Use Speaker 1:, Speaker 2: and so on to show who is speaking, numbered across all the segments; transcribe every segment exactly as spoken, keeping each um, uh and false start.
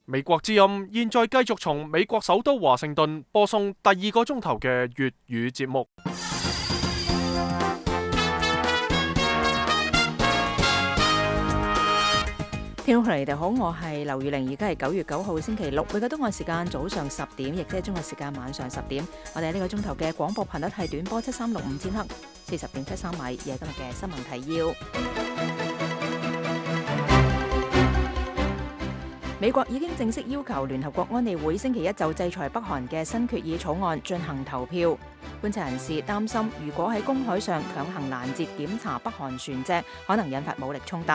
Speaker 1: 美國之音現在繼續從美國首都華盛頓播送第二個鐘頭嘅粵語節目。
Speaker 2: 聽眾朋友，你哋好，我係劉宇玲，而家係九月九號星期六，每個東岸時間早上十點，亦即係中國時間晚上十點。我哋呢個鐘頭嘅廣播頻率係短波七三六五千赫，四十點七三米。而係今日嘅新聞提要。美國已經正式要求聯合國安理會星期一就制裁北韓嘅新決議草案進行投票。觀察人士擔心，如果喺公海上強行攔截檢查北韓船隻，可能引發武力衝突。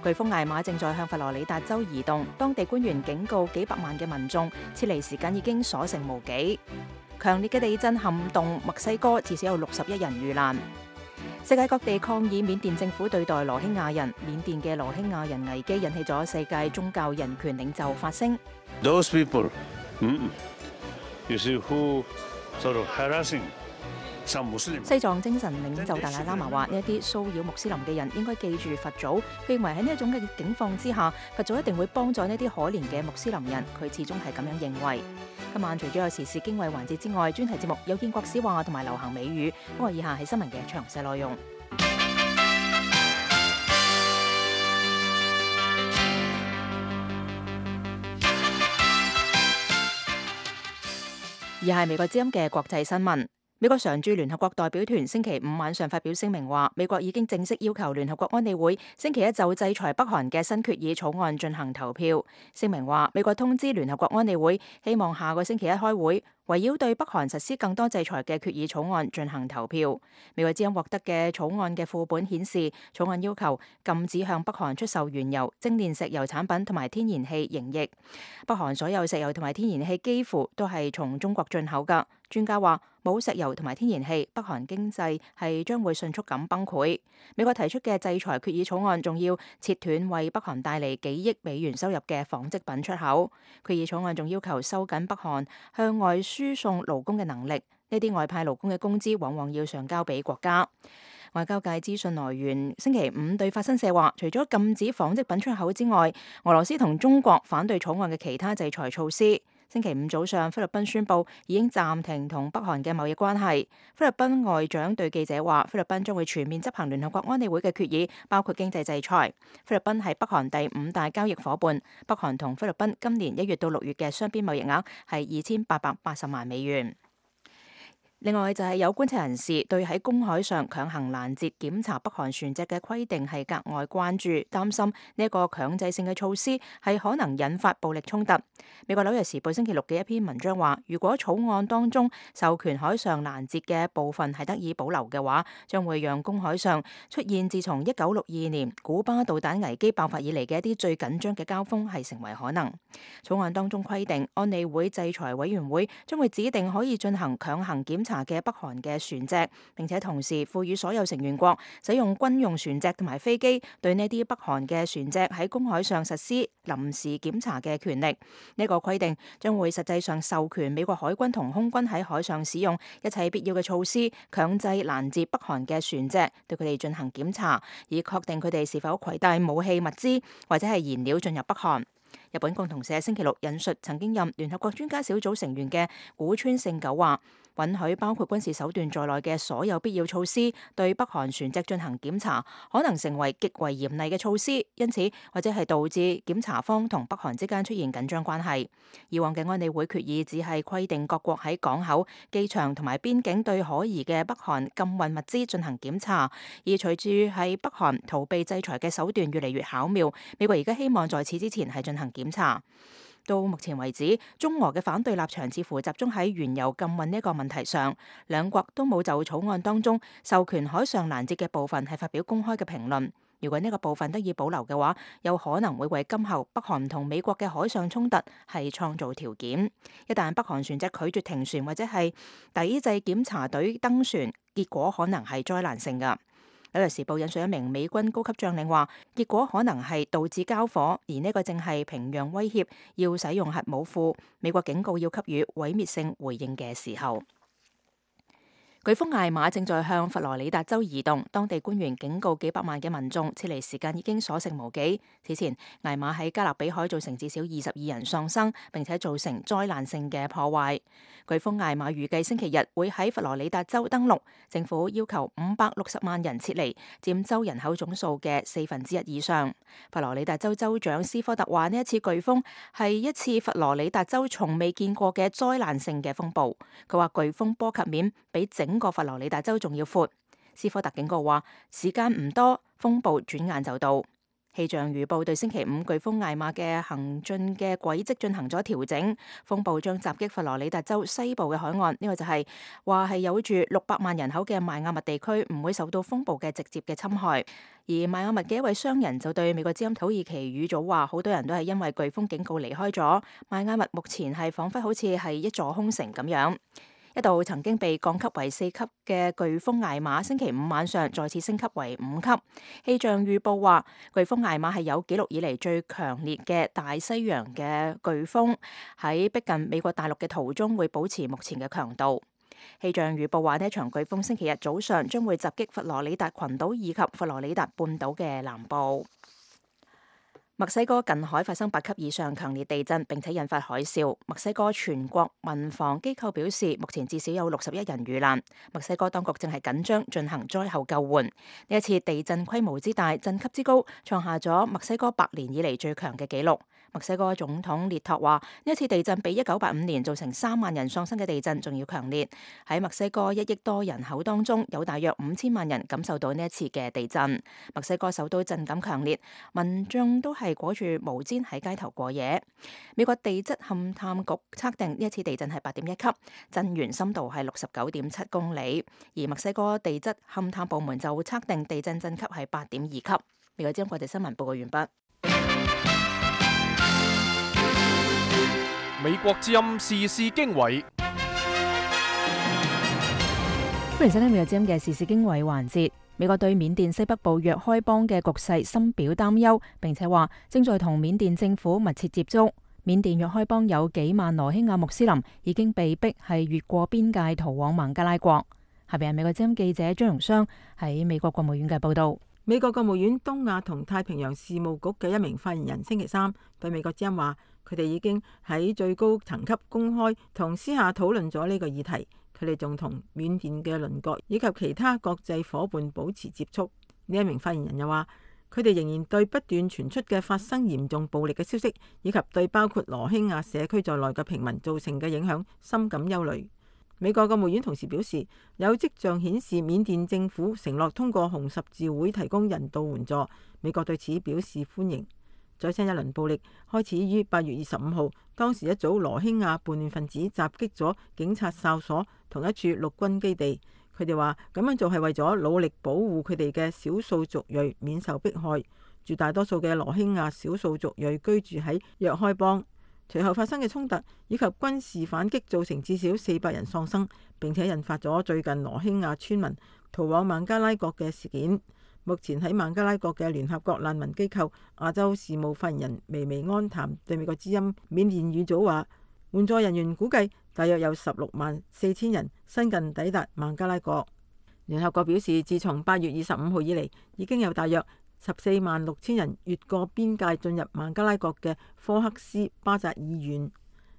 Speaker 2: 颶風艾瑪正在向佛羅里達州移動，當地官員警告幾百萬嘅民眾撤離時間已經所剩無幾。強烈嘅地震撼動墨西哥，至少有六十一人遇難。世界各地抗議緬甸政府對待羅興亞人，緬甸嘅羅興亞人危機引起咗世界宗教人權領袖發聲。
Speaker 3: Those people, you see who sort of harassing.
Speaker 2: 西藏精神領袖達賴喇嘛話：呢一啲騷擾穆斯林嘅人應該記住佛祖。佢認為喺呢一種嘅境況之下，佛祖一定會幫助呢啲可憐嘅穆斯林人。佢始終係咁樣認為。今晚除咗有時事經緯環節之外，專題節目有見國史話同埋流行美語。不過以下係新聞嘅詳細內容。而係美國之音嘅國際新聞。美國常駐聯合國代表團星期五晚上發表聲明話，美國已經正式要求聯合國安理會星期一就制裁北韓嘅新決議草案進行投票。聲明話，美國通知聯合國安理會，希望下個星期一開會，圍繞對北韓實施更多制裁嘅決議草案進行投票。美國之音獲得嘅草案嘅副本顯示，草案要求禁止向北韓出售原油、精煉石油產品同埋天然氣溶液。北韓所有石油同埋天然氣幾乎都係從中國進口㗎。專家話，冇石油同埋天然氣，北韓經濟係將會迅速咁崩潰。美國提出嘅制裁決議草案仲要切斷為北韓帶嚟幾億美元收入嘅紡織品出口。決議草案仲要求收緊北韓向外輸送勞工嘅能力，呢啲外派勞工嘅工資往往要上交俾國家。外交界資訊來源星期五對法新社話，除咗禁止紡織品出口之外，俄羅斯同中國反對草案嘅其他制裁措施。星期五早上，菲律賓宣布已經暫停同北韓嘅貿易關係。菲律賓外長對記者話，菲律賓將會全面執行聯合國安理會嘅決議，包括經濟制裁。菲律賓係北韓第五大交易伙伴，北韓同菲律賓今年一月到六月嘅雙邊貿易額係二千八百八十萬美元。另外就係有觀察人士對喺公海上強行攔截檢查北韓船隻嘅規定係格外關注，擔心呢一個強制性嘅措施係可能引發暴力衝突。美國紐約時報星期六嘅一篇文章話，如果草案當中授權海上攔截嘅部分係得以保留嘅話，將會讓公海上出現自從一九六二年古巴導彈危機爆發以嚟嘅一啲最緊張嘅交鋒係成為可能。草案當中規定，安理會制裁委員會將會指定可以進行強行檢查嘅北韓嘅船隻，並且同時賦予所有成員國使用軍用船隻同埋飛機對呢啲北韓嘅船隻喺公海上實施臨時檢查嘅權力。呢個規定將會實際上授權美國海軍同空軍喺海上使用一切必要嘅措施，強制攔截北韓嘅船隻，對佢哋進行檢查，以確定佢哋是否攜帶武器物資或者係燃料進入北韓。日本共同社星期六引述曾經任聯合國專家小組成員嘅古川勝久話，允許包括軍事手段在內嘅所有必要措施對北韓船隻進行檢查，可能成為極為嚴厲嘅措施，因此或者係導致檢查方同北韓之間出現緊張關係。以往嘅安理會決議只係規定各國喺港口、機場同埋邊境對可疑嘅北韓禁運物資進行檢查，而隨住喺北韓逃避制裁嘅手段越嚟越巧妙，美國而家希望在此之前係進行檢查。到目前為止，中俄嘅反對立場似乎集中喺原油禁運呢個問題上，兩國都冇就草案當中授權海上攔截嘅部分係發表公開嘅評論。如果呢個部分得以保留嘅話，有可能會為今後北韓同美國嘅海上衝突係創造條件。一旦北韓船隻拒絕停船或者係抵制檢查隊登船，結果可能係災難性㗎。紐約時報引述一名美軍高級將領話，結果可能係導致交火，而呢個正係平壤威脅要使用核武庫，美國警告要給予毀滅性回應嘅時候。颶風艾瑪正在向佛羅里達州移動，當地官員警告幾百萬嘅民眾撤離時間已經所剩無幾。此前，艾瑪喺加勒比海造成至少二十二人喪生，並且造成災難性嘅破壞。颶風艾瑪預計星期日會喺佛羅里達州登陸，政府要求五百六十萬人撤離，佔州人口總數嘅四分之一以上。佛羅里達州州長斯科特話：呢一次颶風係一次佛羅里達州從未見過嘅災難性嘅風暴。佢話颶風波及面比整個佛羅里達州仲要闊。斯科特警告話：時間唔多，風暴轉眼就到。氣象預報對星期五颶風艾瑪嘅行進嘅軌跡進行咗調整，風暴將襲擊佛羅里達州西部嘅海岸。呢個就係話係有住六百萬人口嘅邁阿密地區唔會受到風暴嘅直接嘅侵害。而邁阿密嘅一位商人就對美國之音土耳其語組話：好多人都係因為颶風警告離開咗邁阿密，目前係彷彿好似係一座空城咁樣。一度曾經被降級為四級嘅颶風艾瑪，星期五晚上再次升級為五級。氣象預報話，颶風艾瑪係有紀錄以嚟最強烈嘅大西洋嘅颶風，喺逼近美國大陸嘅途中會保持目前嘅強度。氣象預報話，呢一場颶風星期日早上將會襲擊佛羅里達群島以及佛羅里達半島嘅南部。墨西哥近海發生八級以上強烈地震，並且引發海嘯。墨西哥全國民防機構表示，目前至少有六十一人遇難。墨西哥當局正係緊張進行災後救援。呢一次地震規模之大、震級之高，創下咗墨西哥百年以嚟最強嘅紀錄。墨西哥總統列托話：呢一次地震比一九八五年造成三萬人喪生嘅地震仲要強烈。喺墨西哥一億多人口當中，有大約五千萬人感受到呢一次嘅地震。墨西哥首都震感強烈，民眾都係裹住毛氈喺街頭過夜。美國地質勘探局測定呢一次地震係八點一級，震源深度係六十九點七公里。而墨西哥地質勘探部門就測定地震震級係八點二級。美國之音國際新聞報告完畢。
Speaker 1: 美國之音時事經緯，
Speaker 2: 歡迎收聽美國之音嘅時事經緯環節。美國對緬甸西北部若開邦嘅局勢深表擔憂，並且話正在同緬甸政府密切接觸。緬甸若開邦有幾萬羅興亞穆斯林已經被逼係越過邊界逃往孟加拉國。下邊係美國之音記者張榮雙喺美國國務院嘅報道。
Speaker 4: 美國國務院東亞同太平洋事務局嘅一名發言人星期三對美國之音話，佢哋已經喺最高層級公開同私下討論咗呢個議題。佢哋仲同緬甸嘅鄰國以及其他國際夥伴保持接觸。呢一名發言人又話，佢哋仍然對不斷傳出嘅發生嚴重暴力嘅消息，以及對包括羅興亞社區在內嘅平民造成嘅影響，深感憂慮。美國國務院同時表示，有跡象顯示緬甸政府承諾通過紅十字會提供人道援助，美國對此表示歡迎。最新一輪暴力開始於八月二十五號，當時一組羅興亞叛亂分子襲擊咗警察哨所同一處陸軍基地。佢哋話咁樣做係為咗努力保護佢哋嘅少數族裔免受迫害。絕大多數嘅羅興亞少數族裔居住喺若開邦。隨後發生嘅衝突以及軍事反擊造成至少四百人喪生，並且引發咗最近羅興亞村民逃往孟加拉國嘅事件。目前喺孟加拉國嘅聯合國難民機構亞洲事務發言人薇薇安談對美國之音緬甸語組話，援助人員估計大約有十六萬四千人新近抵達孟加拉國。聯合國表示，自從八月二十五號以嚟，已經有大約十四萬六千人越過邊界進入孟加拉國嘅科克斯巴扎爾縣。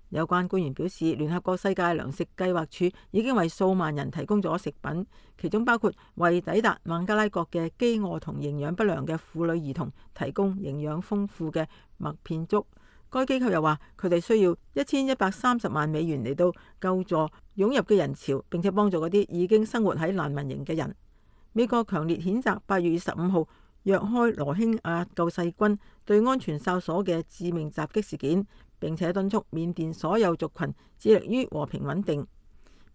Speaker 4: 有關官員表示，聯合國世界糧食計劃署已經為數萬人提供咗食品，其中包括為抵達孟加拉國嘅飢餓同營養不良嘅婦女兒童提供營養豐富嘅麥片粥。該機構又話，佢哋需要一千一百三十萬美元嚟到救助湧入嘅人潮，並且幫助嗰啲已經生活喺難民營嘅人。美國強烈譴責八月二十五號若開羅興亞救世軍對安全哨所嘅致命襲擊事件，並且敦促緬甸所有族群致力於和平穩定。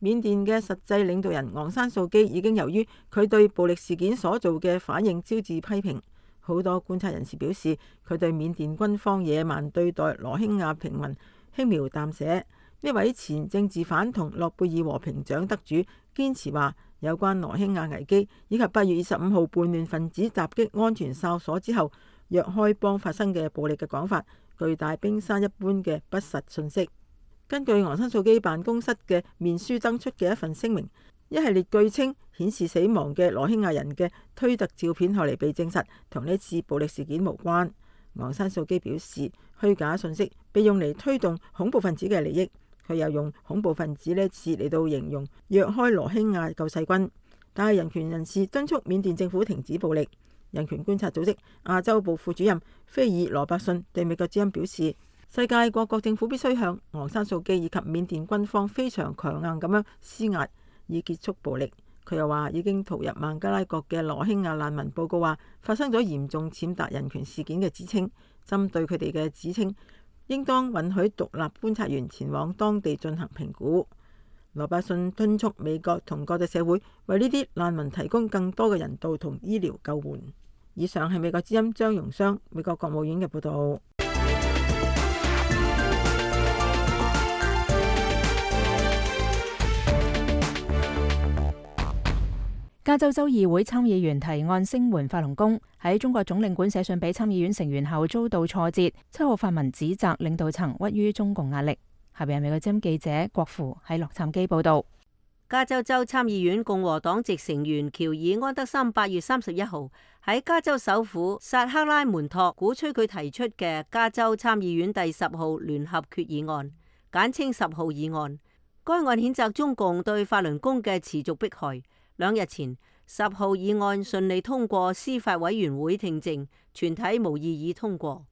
Speaker 4: 緬甸嘅實際領導人昂山素基已經由於佢對暴力事件所做嘅反應招致批評。好多觀察人士表示，佢對緬甸軍方野蠻對待羅興亞平民輕描淡寫。呢位前政治犯同諾貝爾和平獎得主堅持話，有關羅興亞危機以及八月二十五號叛亂分子襲擊安全哨所之後若開邦發生嘅暴力嘅講法，巨大冰山一般嘅不實信息。根據昂山素基辦公室嘅面書登出嘅一份聲明，一系列據稱顯示死亡嘅羅興亞人嘅推特照片後嚟被證實同呢次暴力事件無關。昂山素基表示，虛假信息被用嚟推動恐怖分子嘅利益。佢又用恐怖分子呢次嚟到形容若開羅興亞救世軍。但係人權人士敦促緬甸政府停止暴力。人權觀察組織亞洲部副主任菲爾羅伯遜對美國之音表示，世界各國政府必須向昂山素基以及緬甸軍方非常強硬咁樣施壓，以結束暴力。佢又話，已經逃入孟加拉國嘅羅興亞難民報告話發生咗嚴重踐踏人權事件嘅指稱，針對佢哋嘅指稱，應當允許獨立觀察員前往當地進行評估。羅伯遜敦促美國同國際社會為呢啲難民提供更多嘅人道同醫療救援。以上係美國之音張榮商，美國國務院嘅報道。
Speaker 2: 加州州議會參議員提案聲援法輪功，喺中國總領館寫信俾參議院成員後遭到挫折。七號發文指責領導層屈於中共壓力。下邊係美國之音記者郭芙喺洛杉磯報道。
Speaker 5: 加州州參議院共和黨籍成員喬爾安德森八月三十一號喺加州首府薩克拉門托鼓吹佢提出嘅加州參議院第十號聯合決議案，簡稱十號議案。該案譴責中共對法輪功嘅持續迫害。兩日前，十號議案順利通過司法委員會聽證，全體無異議通過。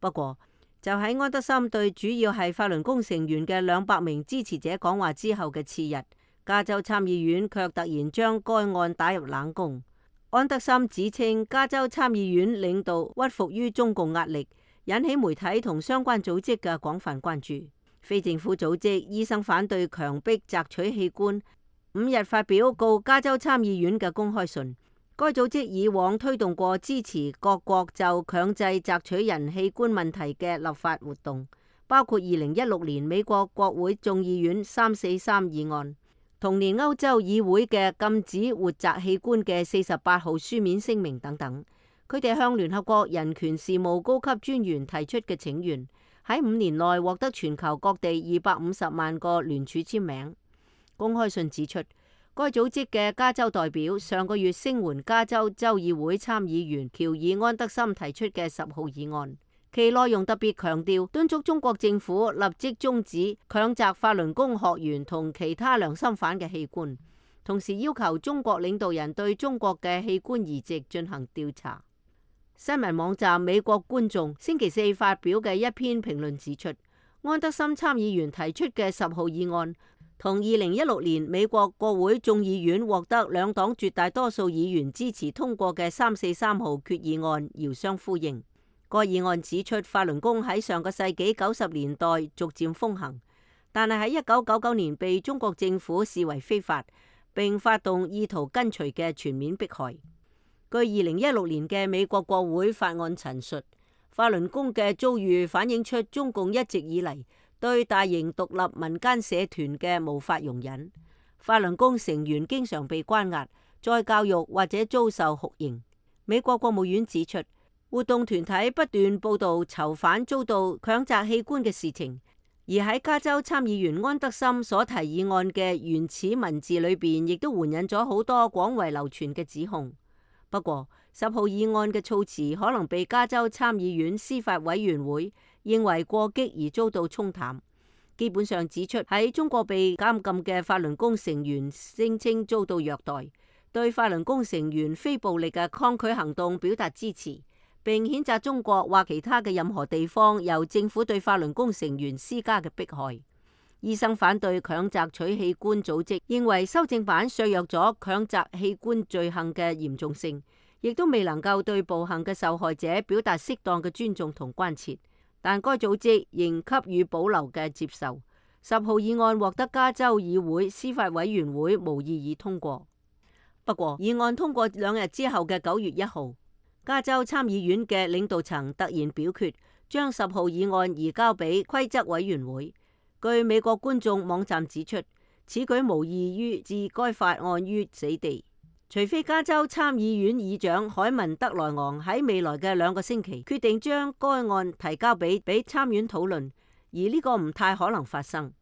Speaker 5: 不過，就喺安德森對主要係法輪功成員嘅兩百名支持者講話之後嘅次日，加州參議院卻突然將該案打入冷宮。安德森指稱加州參議院領導屈服於中共壓力，引起媒體同相關組織嘅廣泛關注。非政府組織醫生反對強迫摘取器官五日發表告加州參議院嘅公開信。該組織以往推動過支持各國就強制摘取人器官問題嘅立法活動，包括二零一六年美國國會眾議院三四三議案，同年歐洲議會嘅禁止活摘器官嘅四十八號書面聲明等等。佢哋向聯合國人權事務高級專員提出嘅請願，喺五年內獲得全球各地二百五十萬個聯署簽名。公開信指出，該組織嘅加州代表上個月聲援加州州議會參議員喬爾安德森提出嘅十號議案，其內容特別強調敦促中國政府立即終止強摘法輪功學員同其他良心犯嘅器官，同時要求中國領導人對中國嘅器官移植進行調查。新聞網站美國觀眾星期四發表嘅一篇評論指出，安德森參議員提出嘅十號議案同二零一六年美國國會眾議院獲得兩黨絕大多數議員支持通過嘅三四三號決議案遙相呼應。該議案指出，法輪功喺上個世紀九十年代逐漸風行，但係喺一九九九年被中國政府視為非法，並發動意圖根除嘅全面迫害。據二零一六年嘅美國國會法案陳述，法輪功嘅遭遇反映出中共一直以嚟對大型獨立民間社團嘅無法容忍。法輪功成員經常被關押、再教育或者遭受酷刑。美國國務院指出，活動團體不斷報道囚犯遭到強摘器官嘅事情，而喺加州參議員安德森所提議案嘅原始文字裏邊，亦都援引咗好多廣為流傳嘅指控。不過，十號議案嘅措辭可能被加州參議院司法委員會認為過激而遭到沖淡，基本上指出喺中國被監禁嘅法輪功成員聲稱遭到虐待，對法輪功成員非暴力嘅抗拒行動表達支持，並譴責中國或其他嘅任何地方由政府對法輪功成員施加嘅迫害。醫生反對強摘取器官組織認為修正版削弱咗強摘器官罪行嘅嚴重性，亦都未能夠對暴行嘅受害者表達適當嘅尊重同關切。但該組織仍給予保留嘅接受。十號議案獲得加州議會司法委員會無異議通過。不過，議案通過兩日之後嘅九月一號，加州參議院嘅領導層突然表決，將十號議案移交俾規則委員會。據美國觀眾網站指出，此舉無異於置該法案於死地。除非加州參議院議長凱文德萊昂喺未來嘅兩個星期決定將該案提交俾俾參院討論，而呢個唔太可能發生。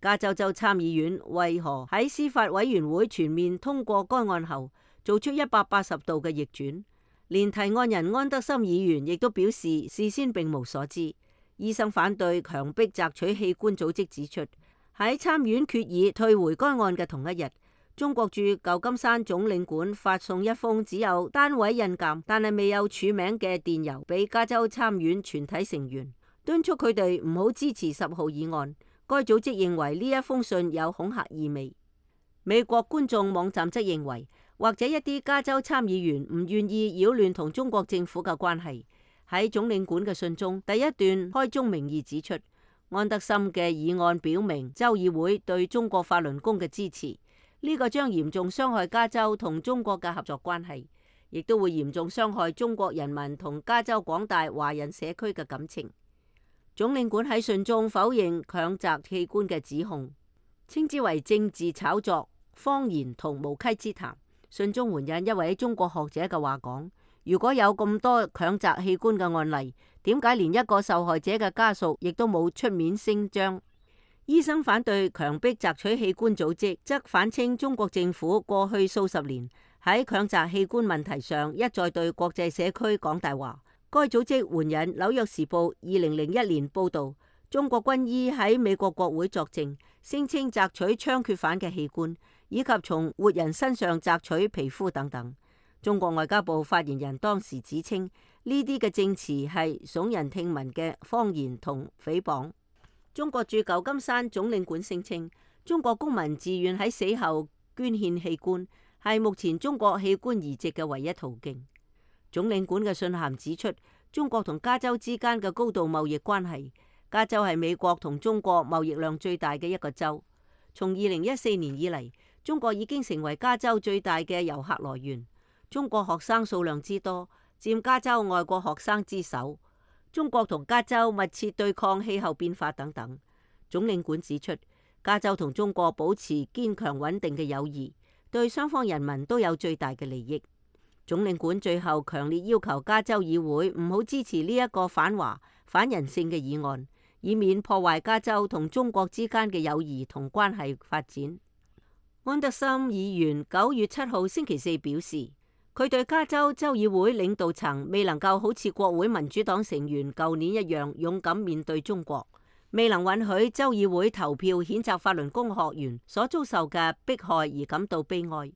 Speaker 5: 加州州參議院為何喺司法委員會全面通過該案後，做出一百八十度嘅逆轉？連提案人安德森議員亦都表示事先並無所知。醫生反對強迫摘取器官組織指出，喺參院決議退回該案嘅同一日，中國駐舊金山總領館發送一封只有單位印鑑但係未有署名嘅電郵俾加州參院全體成員，敦促佢哋唔好支持十號議案。該組織認為呢一封信有恐嚇意味。美國觀眾網站則認為，或者一啲加州參議員唔願意擾亂同中國政府嘅關係。喺總領館嘅信中，第一段開宗明義指出，安德森嘅議案表明州議會對中國法輪功嘅支持，呢個將嚴重傷害加州同中國嘅合作關係，亦都會嚴重傷害中國人民同加州廣大華人社區嘅感情。總領館喺信中否認強摘器官嘅指控，稱之為政治炒作、謊言同無稽之談。信中援引一位中國學者嘅話講，如果有咁多強摘器官嘅案例，點解連一個受害者嘅家屬亦都冇出面聲張？醫生反對強迫摘取器官組織，則反稱中國政府過去數十年喺強摘器官問題上一再對國際社區講大話。該組織援引《紐約時報》二零零一年報導，中國軍醫喺美國國會作證，聲稱摘取槍決犯嘅器官，以及從活人身上摘取皮膚等等。中國外交部發言人當時指稱，呢啲嘅證詞係聳人聽聞嘅謊言同誹謗。中國駐舊金山總領館聲稱，中國公民自願喺死後捐獻器官，係目前中國器官移植嘅唯一途徑。總領館嘅信函指出，中國同加州之間嘅高度貿易關係，加州係美國同中國貿易量最大嘅一個州。從二零一四年以嚟，中國已經成為加州最大嘅遊客來源。中國學生數量之多，佔加州外國學生之首。中國同加州密切對抗氣候變化等等。總領館指出，加州同中國保持堅強穩定嘅友誼，對雙方人民都有最大嘅利益。總領館最後強烈要求加州議會唔好支持呢一個反華、反人性嘅議案，以免破壞加州同中國之間嘅友誼同關係發展。安德森議員九月七號星期四表示，佢對加州州議會領導層未能夠好似國會民主黨成員舊年一樣勇敢面對中國，未能允許州議會投票譴責法輪功學員所遭受嘅迫害而感到悲哀。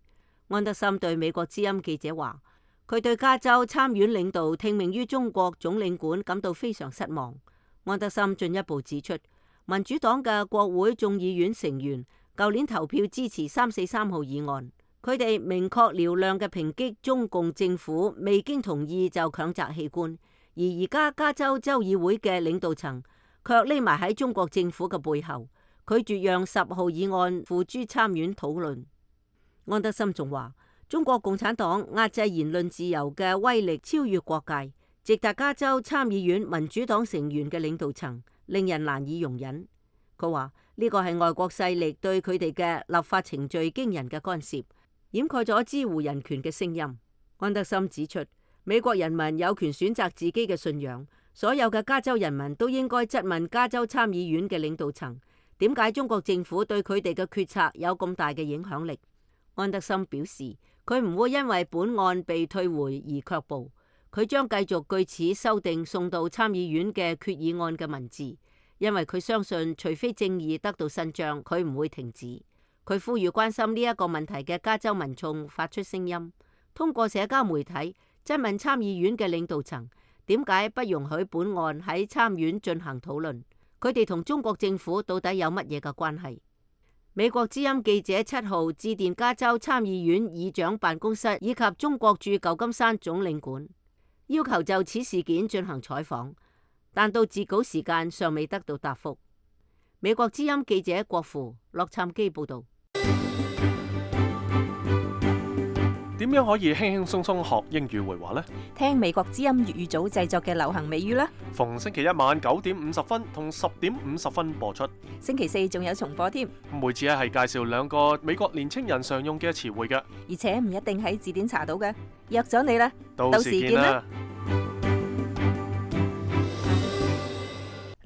Speaker 5: 安德森對美國之音記者話，佢對加州參院領導聽命於中國總領館感到非常失望。安德森進一步指出，民主黨嘅國會眾議院成員舊年投票支持三四三號議案，佢哋明確嘹亮嘅抨擊中共政府未經同意就強摘器官，而而家加州州議會嘅領導層卻匿埋喺中國政府嘅背後，拒絕讓十號議案付諸參院討論。安德森仲話，中國共產黨壓制言論自由嘅威力超越國界，直達加州參議院民主黨成員嘅領導層，令人難以容忍。佢話呢個係外國勢力對佢哋嘅立法程序驚人嘅干涉，掩蓋咗支護人權嘅聲音。安德森指出，美國人民有權選擇自己嘅信仰，所有嘅加州人民都應該質問加州參議院嘅領導層，點解中國政府對佢哋嘅決策有咁大嘅影響力。安德森表示，佢唔會因為本案被退回而卻步，佢將繼續據此修訂送到參議院嘅決議案嘅文字，因為佢相信除非正義得到伸張，佢唔會停止。佢呼籲關心呢一個問題嘅加州民眾發出聲音，通過社交媒體質問參議院嘅領導層，點解不容許本案喺參院進行討論？佢哋同中國政府到底有乜嘢嘅關係？美國之音記者七號致電加州參議院議長辦公室以及中國駐舊金山總領館，要求就此事件進行採訪，但到截稿時間尚未得到答覆。美國之音記者郭芙洛杉磯報道。
Speaker 1: 點樣可以輕輕鬆鬆學英語會話呢？
Speaker 2: 聽美國之音粵語組製作嘅流行美語啦。
Speaker 1: 逢星期一晚九點五十分同十點五十分播出。
Speaker 2: 星期四仲有重播添。
Speaker 1: 每次咧係介紹兩個美國年青人常用嘅詞彙嘅，
Speaker 2: 而且唔一定喺字典查到嘅。約咗你啦，
Speaker 1: 到時見啦。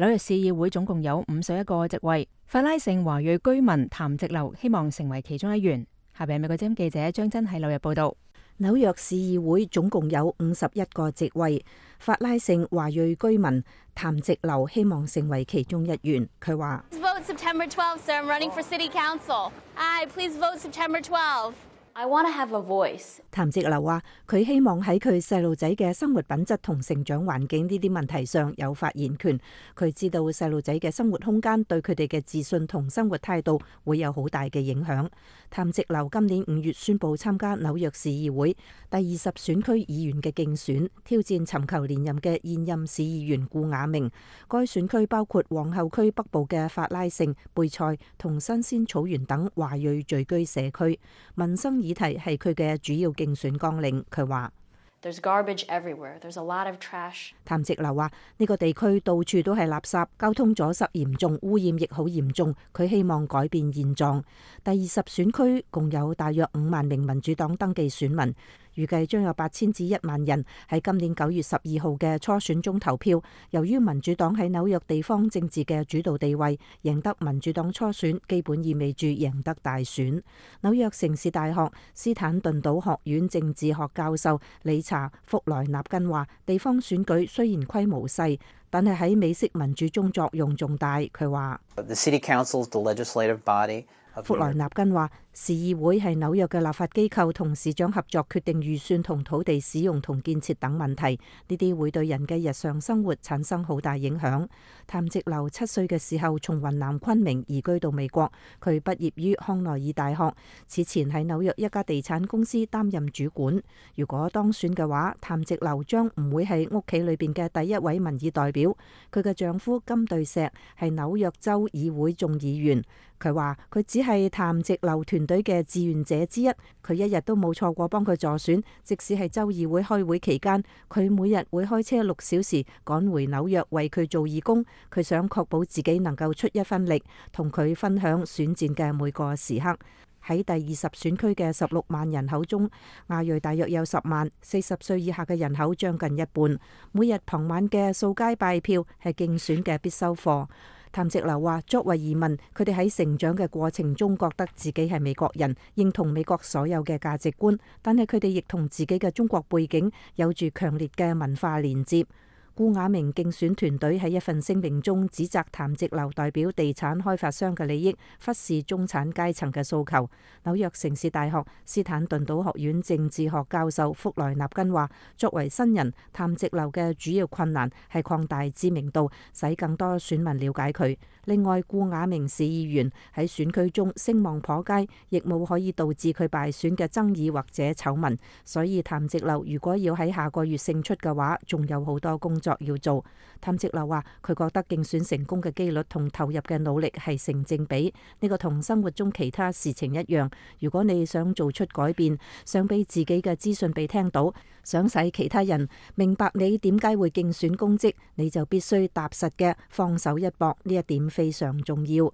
Speaker 2: 紐約市議會總共有五十一個席位，法拉盛華裔居民譚直流希望成為其中一員。下邊美國之音記者張真喺紐約報道。
Speaker 6: 紐約市議會總共有五十一個席位，法拉盛華裔居民譚直流希望成為其中一員。佢話
Speaker 7: ：Vote September twelfth, sir. I'm running for city council. Aye, please vote September twelfth. I want to have a voice.
Speaker 6: 譚直流話：佢希望喺佢細路仔嘅生活品質同成長環境呢啲問題上有發言權。佢知道細路仔嘅生活空間對佢哋嘅自信同生活態度會有好大嘅影響。譚直流今年五月宣布參加紐約市議會第二十選區議員嘅競選，挑戰尋求連任嘅現任市議員顧雅明。該選區包括皇后區北部嘅法拉盛、貝塞同新鮮草原等華裔聚居社區。民生議題係佢嘅主要競選綱領。佢話
Speaker 7: ：There's garbage everywhere. There's a lot of trash.
Speaker 6: 譚直流話：呢個地區到處都係垃圾，交通阻塞嚴重，污染亦好嚴重。佢希望改變現狀。第二十選區共有大約五萬名民主黨登記選民。預計將有八千至一萬人喺今年九月十二號嘅初選中投票。由於民主黨喺紐約地方政治嘅主導地位，贏得民主黨初選基本意味住贏得大選。紐約城市大學斯坦頓島學院政治學教授理查福萊納根話：地方選舉雖然規模細，但係喺美式民主中作用重大。佢話
Speaker 8: ：The city council is the legislative body.
Speaker 6: 福萊納根話：市議會係紐約嘅立法機構，同市長合作決定預算同土地使用同建設等問題，呢啲會對人嘅日常生活產生好大影響。譚直流七歲嘅時候從雲南昆明移居到美國，佢畢業於康奈爾大學，此前喺紐約一家地產公司擔任主管。如果當選嘅話，譚直流將唔會係屋企裏邊嘅第一位民意代表。佢嘅丈夫金對石係紐約州議會眾議員。佢話佢只係譚直流團隊嘅志願者之一，佢一日都冇錯過幫佢助選，即使係州議會開會期間，佢每日會開車六小時趕回紐約為佢做義工。佢想確保自己能夠出一分力，同佢分享選戰嘅每個時刻。喺第二十選區嘅十六萬人口中，亞裔大約有十萬，四十歲以下嘅人口將近一半。每日傍晚嘅掃街拜票係競選嘅必修課。譚直流話：作為移民，佢哋喺成長嘅過程中覺得自己係美國人，認同美國所有嘅價值觀，但係佢哋亦同自己嘅中國背景有住強烈嘅文化連接。顧雅明競選團隊喺一份聲明中指責譚直流代表地產開發商嘅利益，忽視中產階層嘅訴求。紐約城市大學斯坦頓島學院政治學教授福萊納根話：作為新人，譚直流嘅主要困難係擴大知名度，使更多選民了解佢。另外，顧雅明市議員喺選區中聲望頗佳，亦冇可以導致佢敗選嘅爭議或者醜聞。所以譚直流如果要喺下個月勝出嘅話，仲有好多工作要做。譚直流話：佢覺得競選成功嘅機率同投入嘅努力係成正比，呢個同生活中其他事情一樣。如果你想做出改變，想俾自己嘅資訊被聽到，想使其他人明白你點解會競選公職，你就必須踏實嘅放手一搏，呢一點非常重要。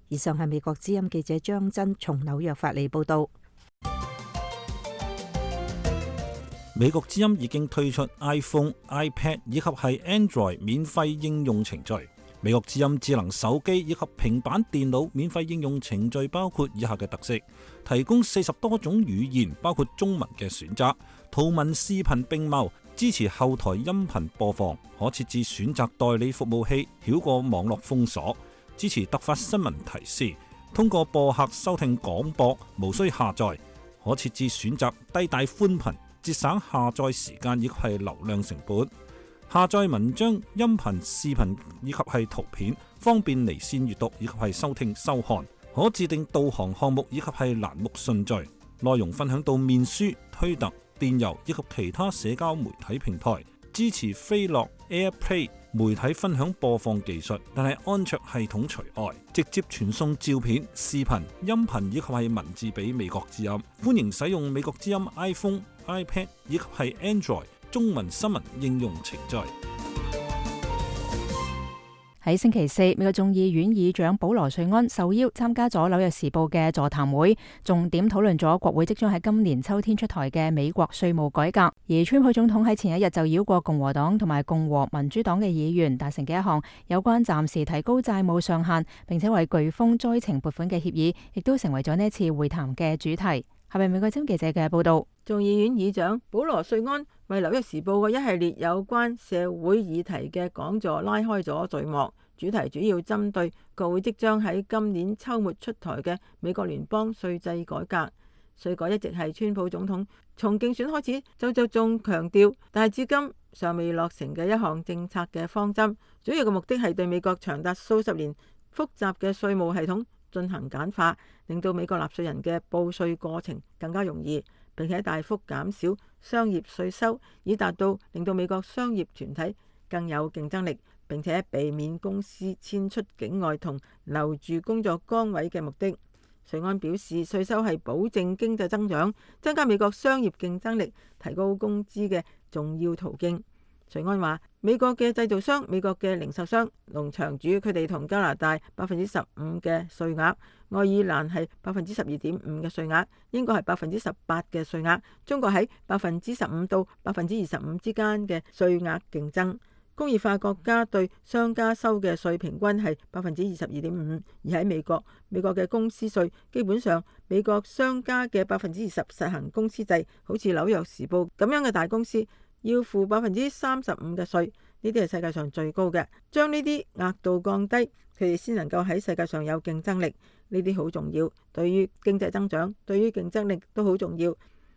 Speaker 6: 以上係美國之音記者張真從紐約發嚟報道。
Speaker 9: 美國之音已經推出 iPhone、iPad 以及係 Android 免費應用程序。美國之音智能手機以及平板電腦免費應用程序包括以下嘅特色：提供四十多種語言，包括中文嘅選擇，圖文視頻並茂，支持後台音頻播放，可設置選擇代理服務器，繞過網絡封鎖，支持突發新聞提示，通過播客收聽廣播，無需下載，可設置選擇低帶寬頻，節省下載時間以及係流量成本。下載文章、音頻、視頻以及係圖片，方便離線閱讀以及係收聽收看。可自定導航項目以及係欄目順序。內容分享到面書、推特、電郵以及其他社交媒體平台。支持飛樂 AirPlay 媒體分享播放技術，但係安卓系統除外。直接傳送照片、視頻、音頻以及係文字俾美國之音。歡迎使用美國之音 iPhone、iPad 以及係 Android 中文新聞應用程序。
Speaker 2: 喺星期四，美國眾議院議長保羅瑞安受邀參加咗紐約時報嘅座談會，重點討論咗國會即將喺今年秋天出台嘅美國稅務改革。而川普總統喺前一日就繞過共和黨同埋共和民主黨嘅議員達成嘅一項有關暫時提高債務上限，並且為颶風災情撥款嘅協議，亦都成為咗呢次會談嘅主題。係咪美國之音記者嘅報道？
Speaker 4: 眾議院議長保羅瑞安為紐約時報嘅一系列有關社會議題嘅講座拉開咗序幕，主題主要針對國會即將喺今年秋末出台嘅美國聯邦稅制改革。稅改一直係川普總統從競選開始就就仲強調，但係至今尚未落成嘅一項政策嘅方針，主要嘅目的係對美國長達數十年複雜嘅稅務系統進行簡化，令到美國納稅人嘅報稅過程更加容易，並且大幅減少商業稅收，以達到令到美國商業團體更有競爭力，並且避免公司遷出境外同留住工作崗位嘅目的。瑞安表示，稅收係保證經濟增長、增加美國商業競爭力、提高工資嘅重要途徑。瑞安話：美國嘅製造商、美國嘅零售商、農場主，佢哋同加拿大百分之十五嘅稅額，愛爾蘭係百分之十二點五嘅稅額，英國係百分之十八嘅稅額，中國喺百分之十五到百分之二十五之間嘅稅額競爭。工業化國家對商家收嘅稅平均係百分之二十二點五，而喺美國，美國嘅公司稅基本上美國商家嘅百分之二十實行公司制，好似紐約時報咁樣嘅大公司要付百分之三十五嘅稅，呢啲係世界上最高嘅。將呢啲額度降低，佢哋先能夠喺世界上有競爭力，呢啲好重要，對於經濟增長、對於競爭力都好重要。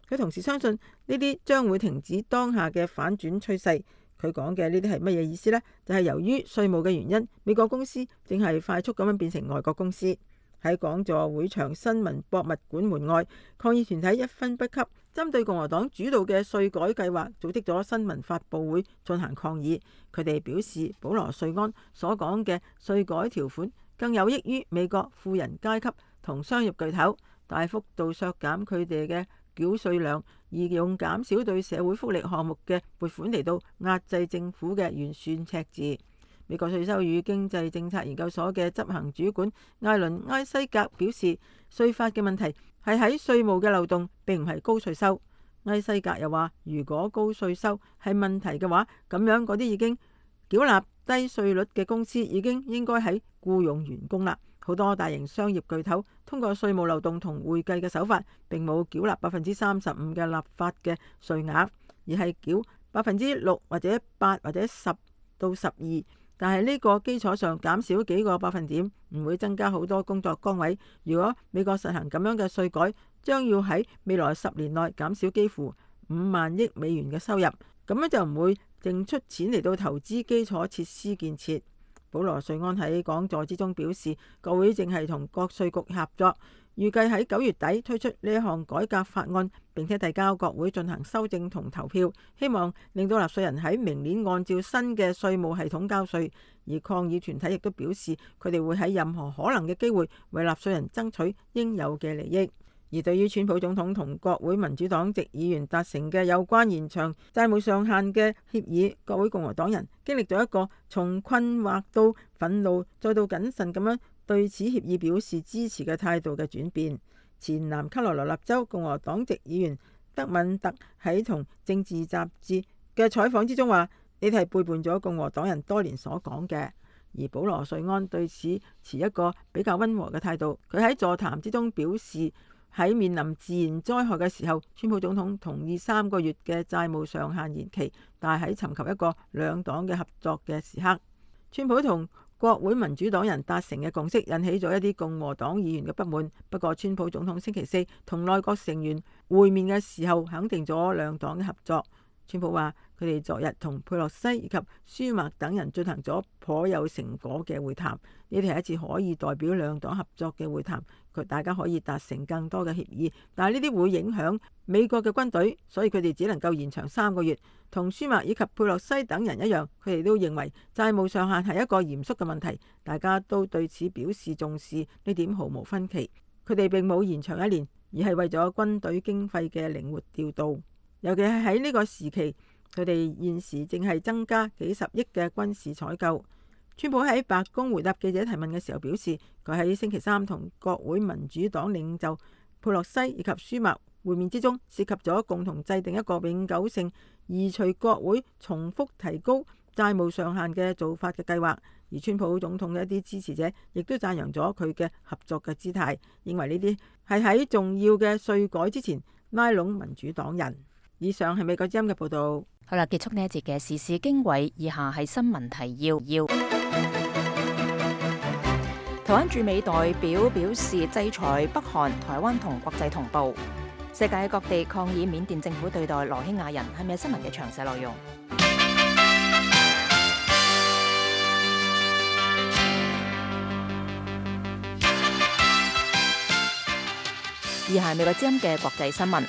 Speaker 4: 佢同時相信呢啲將會停止當下嘅反轉趨勢。佢講嘅呢啲係乜嘢意思呢？就係由於稅務嘅原因，美國公司正係快速咁樣變成外國公司。喺講座會場新聞博物館門外，抗議團體一分不給，針對共和黨主導嘅稅改計劃組織咗新聞發佈會進行抗議。佢哋表示，保羅瑞安所講嘅稅改條款更有益於美國富人階級同商業巨頭，大幅度削減佢哋嘅繳稅量，而用減少對社會福利項目嘅撥款嚟到壓制政府嘅預算赤字。美國稅收與經濟政策研究所嘅執行主管艾倫埃西格表示，稅法嘅問題係喺稅務嘅漏洞，並唔係高稅收。埃西格又話，如果高稅收係問題嘅話，咁樣嗰啲已經繳納低稅率嘅公司已經應該喺僱用員工啦。好多大型商業巨頭通過稅務漏洞同會計嘅手法，並冇繳納百分之三十五嘅立法嘅稅額，而係繳百分之六或者八或者十到十二。但係呢個基礎上減少幾個百分點，唔會增加好多工作崗位。如果美國實行咁樣嘅稅改，將要喺未來十年內減少幾乎五萬億美元嘅收入，咁樣就唔會淨出錢嚟到投資基礎設施建設。保羅瑞安喺講座之中表示，國會正係同各稅局合作，預計喺九月底推出呢一項改革法案，並且提交國會進行修正同投票，希望令到納稅人喺明年按照新嘅稅務系統交稅。而抗議團體亦都表示，佢哋會喺任何可能嘅機會為納稅人爭取應有嘅利益。而對於川普總統同國會民主黨籍議員達成嘅有關延長債務上限嘅協議，國會共和黨人經歷咗一個從困惑到憤怒再到謹慎咁樣對此協議表示支持嘅態度嘅轉變。前南卡羅來納州共和黨籍議員德敏特喺同政治雜誌嘅採訪之中話：呢啲係背叛咗共和黨人多年所講嘅。而保羅瑞安對此持一個比較溫和嘅態度，佢喺座談之中表示，喺面臨自然災害嘅時候，川普總統同意三個月嘅債務上限延期，但係喺尋求一個兩黨嘅合作嘅時刻，川普同國會民主黨人達成嘅共識引起咗一啲共和黨議員嘅不滿。不過，川普總統星期四同內閣成員會面嘅時候，肯定咗兩黨嘅合作。川普話：佢哋昨日同佩洛西以及舒默等人進行咗頗有成果嘅會談，呢啲係一次可以代表兩黨合作嘅會談，佢大家可以達成更多嘅協議。但係呢啲會影響美國嘅軍隊，所以佢哋只能夠延長三個月。同舒默以及佩洛西等人一樣，佢哋都認為債務上限係一個嚴肅嘅問題，大家都對此表示重視，呢點毫無分歧。佢哋並冇延長一年，而係為咗軍隊經費嘅靈活調度。尤其係喺呢個時期，佢哋現時正係增加幾十億嘅軍事採購。川普喺白宮回答記者提問嘅時候表示，佢喺星期三同國會民主黨領袖佩洛西以及舒默會面之中，涉及咗共同制定一個永久性移除國會重複提高債務上限嘅做法嘅計劃。而川普總統嘅一啲支持者亦都讚揚咗佢嘅合作嘅姿態，認為呢啲係喺重要嘅稅改之前拉攏民主黨人。以上係美國之音嘅報道。
Speaker 2: 好啦，結束呢一節嘅時事經緯，以下係新聞提要。要台灣駐美代表表示制裁北韓，台灣同國際同步。世界各地抗議緬甸政府對待羅興亞人，係咪新聞嘅詳細內容？以下係美國之音嘅國際新聞。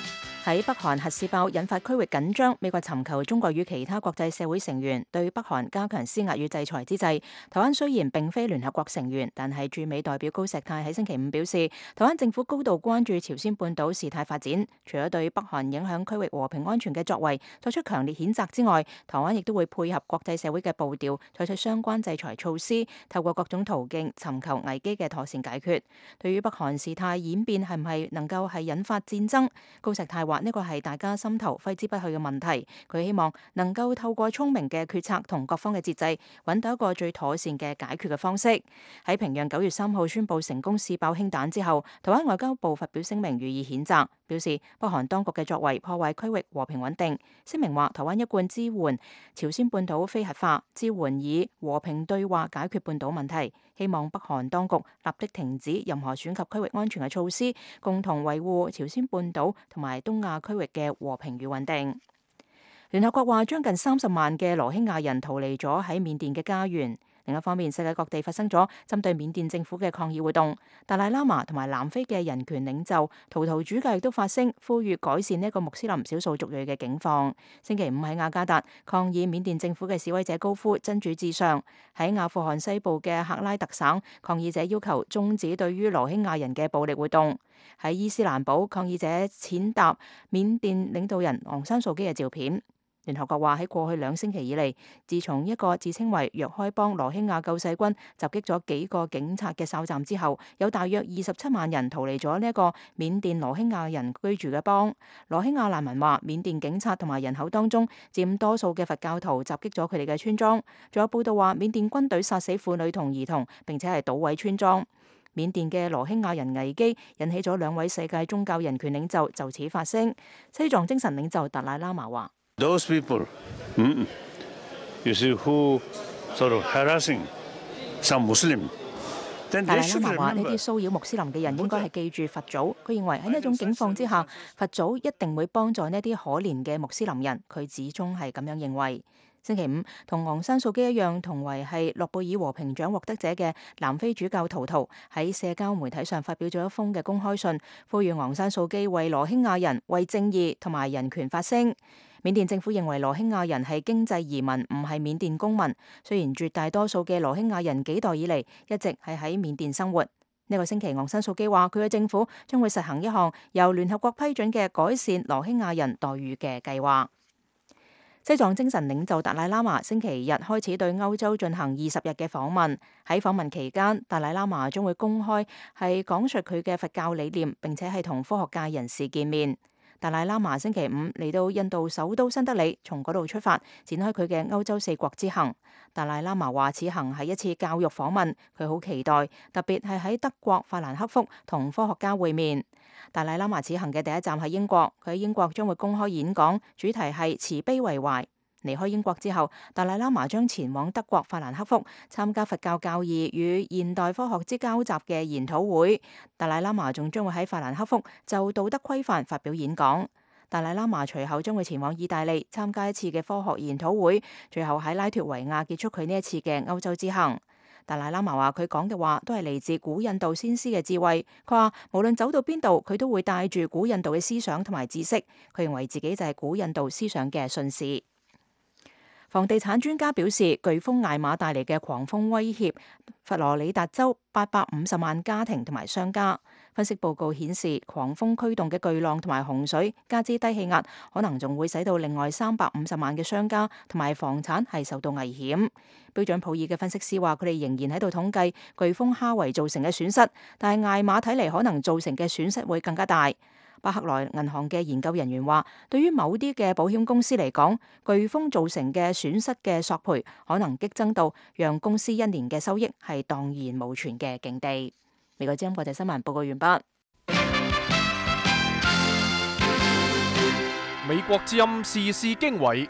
Speaker 2: 喺北韓核試爆引發區域緊張，美國尋求中國與其他國際社會成員對北韓加強施壓與制裁之際，台灣雖然並非聯合國成員，但係駐美代表高石泰喺星期五表示，台灣政府高度關注朝鮮半島事態發展，除咗對北韓影響區域和平安全嘅作為作出強烈譴責之外，台灣亦都會配合國際社會嘅步調，採取相關制裁措施，透過各種途徑尋求危機嘅妥善解決。對於北韓事態演變係唔係能夠係引發戰爭，高石泰話呢個係大家心頭揮之不去嘅問題，佢希望能夠透過聰明嘅決策同各方嘅節制，揾到一個最妥善嘅解決嘅方式。喺平壤九月三號宣布成功試爆氫彈之後，台灣外交部發表聲明予以譴責，表示北韓當局嘅作為破壞區域和平穩定。聲明話台灣一貫支援朝鮮半島非核化，支援以和平對話解決半島問題，希望北韓當局立即停止任何損及區域安全嘅措施，共同維護朝鮮半島同埋東亞區域嘅和平與穩定。聯合國話將近三十萬嘅羅興亞人逃離咗喺緬甸嘅家園。另一方面，世界各地發生咗針對緬甸政府嘅抗議活動。達賴喇嘛同埋南非嘅人權領袖圖圖主教亦都發聲，呼籲改善呢一個穆斯林少數族裔嘅境況。星期五喺雅加達抗議緬甸政府嘅示威者高呼真主至上。喺阿富汗西部嘅赫拉特省，抗議者要求終止對於羅興亞人嘅暴力活動。喺伊斯蘭堡，抗議者踐踏緬甸領導人昂山素基嘅照片。聯合國話喺過去兩星期以嚟，自從一個自稱為若開邦羅興亞救世軍襲擊咗幾個警察嘅哨站之後，有大約二十七萬人逃離咗呢一個緬甸羅興亞人居住嘅邦。羅興亞難民話，緬甸警察同埋人口當中佔多數嘅佛教徒襲擊咗佢哋嘅村莊。仲有報道話，緬甸軍隊殺死婦女同兒童，並且係搗毀村莊。緬甸嘅羅興亞人危機引起咗兩位世界宗教人權領袖就此發聲。西藏精神領袖達賴喇嘛話
Speaker 3: Those people, you see, who sort of harassing some Muslim.
Speaker 2: 達賴喇嘛話：呢啲騷擾穆斯林嘅人應該係記住佛祖。佢認為喺呢一種境況之下，佛祖一定會幫助呢啲可憐嘅穆斯林人。佢始終係咁樣認為。星期五，同昂山素基一樣，同為係諾貝爾和平獎獲得者嘅南非主教圖圖喺社交媒體上發表咗一封嘅公開信，呼籲昂山素基為羅興亞人、為正義同埋人權發聲。緬甸政府認為羅興亞人係經濟移民，唔係緬甸公民。雖然絕大多數嘅羅興亞人幾代以嚟一直係喺緬甸生活。呢個星期，昂山素基話佢嘅政府將會實行一項由聯合國批准嘅改善羅興亞人待遇嘅計劃。西藏精神領袖達賴喇嘛星期日開始對歐洲進行二十日嘅訪問。喺訪問期間，達賴喇嘛將會公開係講述佢嘅佛教理念，並且係同科學界人士見面。達賴喇嘛星期五嚟到印度首都新德里，從嗰度出發展開佢嘅歐洲四國之行。達賴喇嘛話此行係一次教育訪問，佢好期待，特別係喺德國法蘭克福同科學家會面。達賴喇嘛此行嘅第一站係英國，佢喺英國將會公開演講，主題係慈悲為懷。離開英國之後，達賴喇嘛將前往德國法蘭克福參加佛教教義與現代科學之交集嘅研討會。達賴喇嘛仲將會喺法蘭克福就道德規範發表演講。達賴喇嘛隨後將會前往意大利參加一次嘅科學研討會，最後喺拉脫維亞結束佢呢一次嘅歐洲之行。達賴喇嘛話佢講嘅話都係嚟自古印度先師嘅智慧。佢話無論走到邊度，佢都會帶住古印度嘅思想同埋知識。佢認為自己就係古印度思想嘅信使。房地產專家表示，颶風艾瑪帶嚟嘅狂風威脅佛羅里達州八百五十萬家庭同埋商家。分析報告顯示，狂風驅動嘅巨浪同埋洪水，加之低氣壓，可能仲會使到另外三百五十萬嘅商家同埋房產係受到危險。標準普爾嘅分析師話，佢哋仍然喺度統計颶風哈維造成嘅損失，但係艾瑪睇嚟可能造成嘅損失會更加大。巴克萊銀行嘅研究人員話，對於某啲嘅保險公司嚟講，颶風造成嘅損失嘅索賠可能激增到讓公司一年嘅收益係蕩然無存嘅境地。美國之音國際新聞報告完畢。
Speaker 1: 美國之音時事經緯。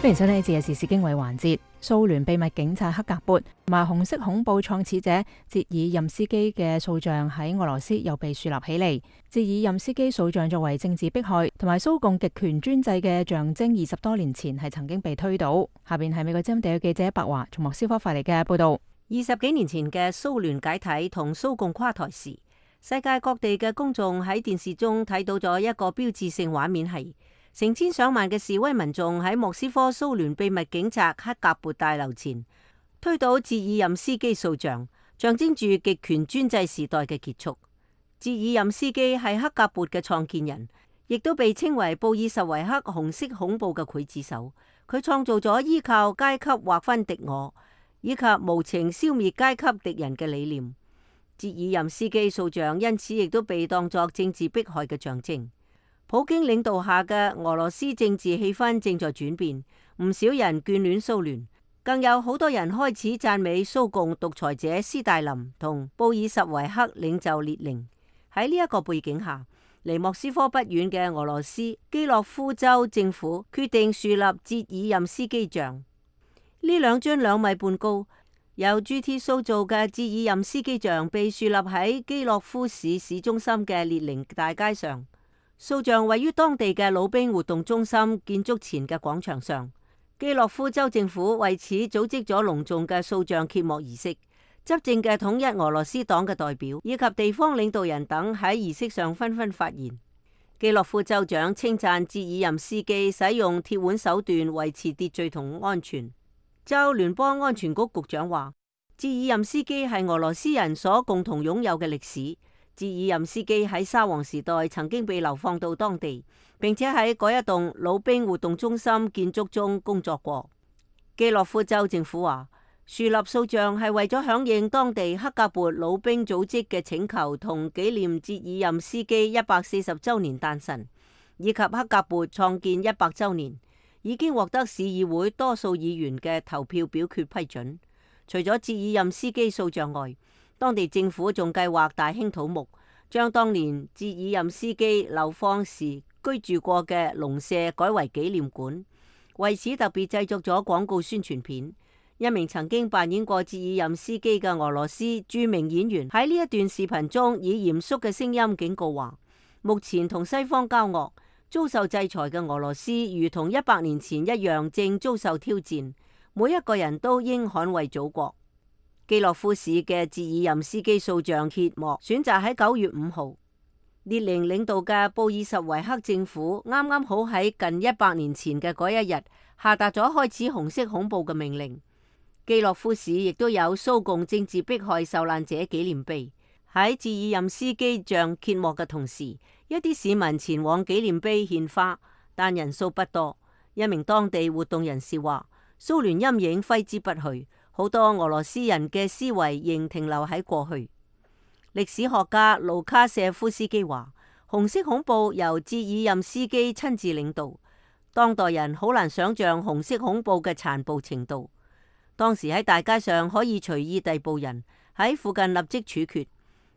Speaker 2: 歡迎收聽呢次嘅時事經緯環節。蘇聯秘密警察克格勃同埋紅色恐怖創始者捷爾任斯基嘅塑像喺俄羅斯又被樹立起嚟。捷爾任斯基塑像作為政治迫害同埋蘇共極權專制嘅象徵，二十多年前係曾經被推倒。下邊係美國之音地嘅記者白華從莫斯科發嚟嘅報道。
Speaker 5: 二十幾年前嘅蘇聯解體同蘇共垮台時，世界各地嘅公眾喺電視中睇到咗一個標誌性畫面，係成千上萬嘅示威民眾喺莫斯科蘇聯秘密警察克格勃大樓前推倒捷爾任斯基塑像，象徵住極權專制時代嘅結束。捷爾任斯基係克格勃嘅創建人，亦都被稱為布爾什維克紅色恐怖嘅劊子手。佢創造咗依靠階級劃分敵我，以及無情消滅階級敵人嘅理念。捷爾任斯基塑像因此亦都被當作政治迫害嘅象徵。普京領導下嘅俄羅斯政治氣氛正在轉變，唔少人眷戀蘇聯，更有好多人開始讚美蘇共獨裁者斯大林同布爾什維克領袖列寧。喺呢一個背景下，離莫斯科不遠嘅俄羅斯基洛夫州政府決定樹立捷爾任斯基像。呢兩尊兩米半高，由鑄鐵塑造嘅捷爾任斯基像被樹立喺基洛夫市市中心嘅列寧大街上。塑像位於當地嘅老兵活動中心建築前嘅廣場上。基洛夫州政府為此組織咗隆重嘅塑像揭幕儀式，執政嘅統一俄羅斯黨嘅代表以及地方領導人等喺儀式上紛紛發言。基洛夫州長稱讚捷爾任斯基使用鐵腕手段維持秩序同安全。州聯邦安全局局長話，捷爾任斯基係俄羅斯人所共同擁有嘅歷史。捷爾任斯基喺沙皇時代曾經被流放到當地，並且喺嗰一棟老兵活動中心建築中工作過。基洛夫州政府話，樹立塑像係為咗響應當地克格勃老兵組織嘅請求，同紀念捷爾任斯基一百四十周年誕辰，以及克格勃創建一百周年，已經獲得市議會多數議員嘅投票表決批准。除咗捷爾任斯基塑像外，當地政府仲計劃大興土木，將當年捷爾任斯基流放時居住過嘅農舍改為紀念館，為此特別製作咗廣告宣傳片。一名曾經扮演過捷爾任斯基嘅俄羅斯著名演員喺呢一段視頻中以嚴肅嘅聲音警告話，目前同西方交惡、遭受制裁嘅俄羅斯如同一百年前一樣正遭受挑戰，每一個人都應捍衛祖國。基洛夫市嘅捷爾任斯基塑像揭幕選擇喺九月五號。列寧領導嘅布爾什維克政府啱啱好喺近一百年前嘅嗰一日下達咗開始紅色恐怖嘅命令。基洛夫市亦都有蘇共政治迫害受難者紀念碑。喺捷爾任斯基像揭幕嘅同時，一啲市民前往紀念碑獻花，但人數不多。一名當地活動人士話，蘇聯陰影揮之不去。好多俄羅斯人嘅思維仍停留喺過去。歷史學家盧卡舍夫斯基話，紅色恐怖由捷爾任斯基親自領導，當代人好難想象紅色恐怖嘅殘暴程度。當時喺大街上可以隨意逮捕人，喺附近立即處決。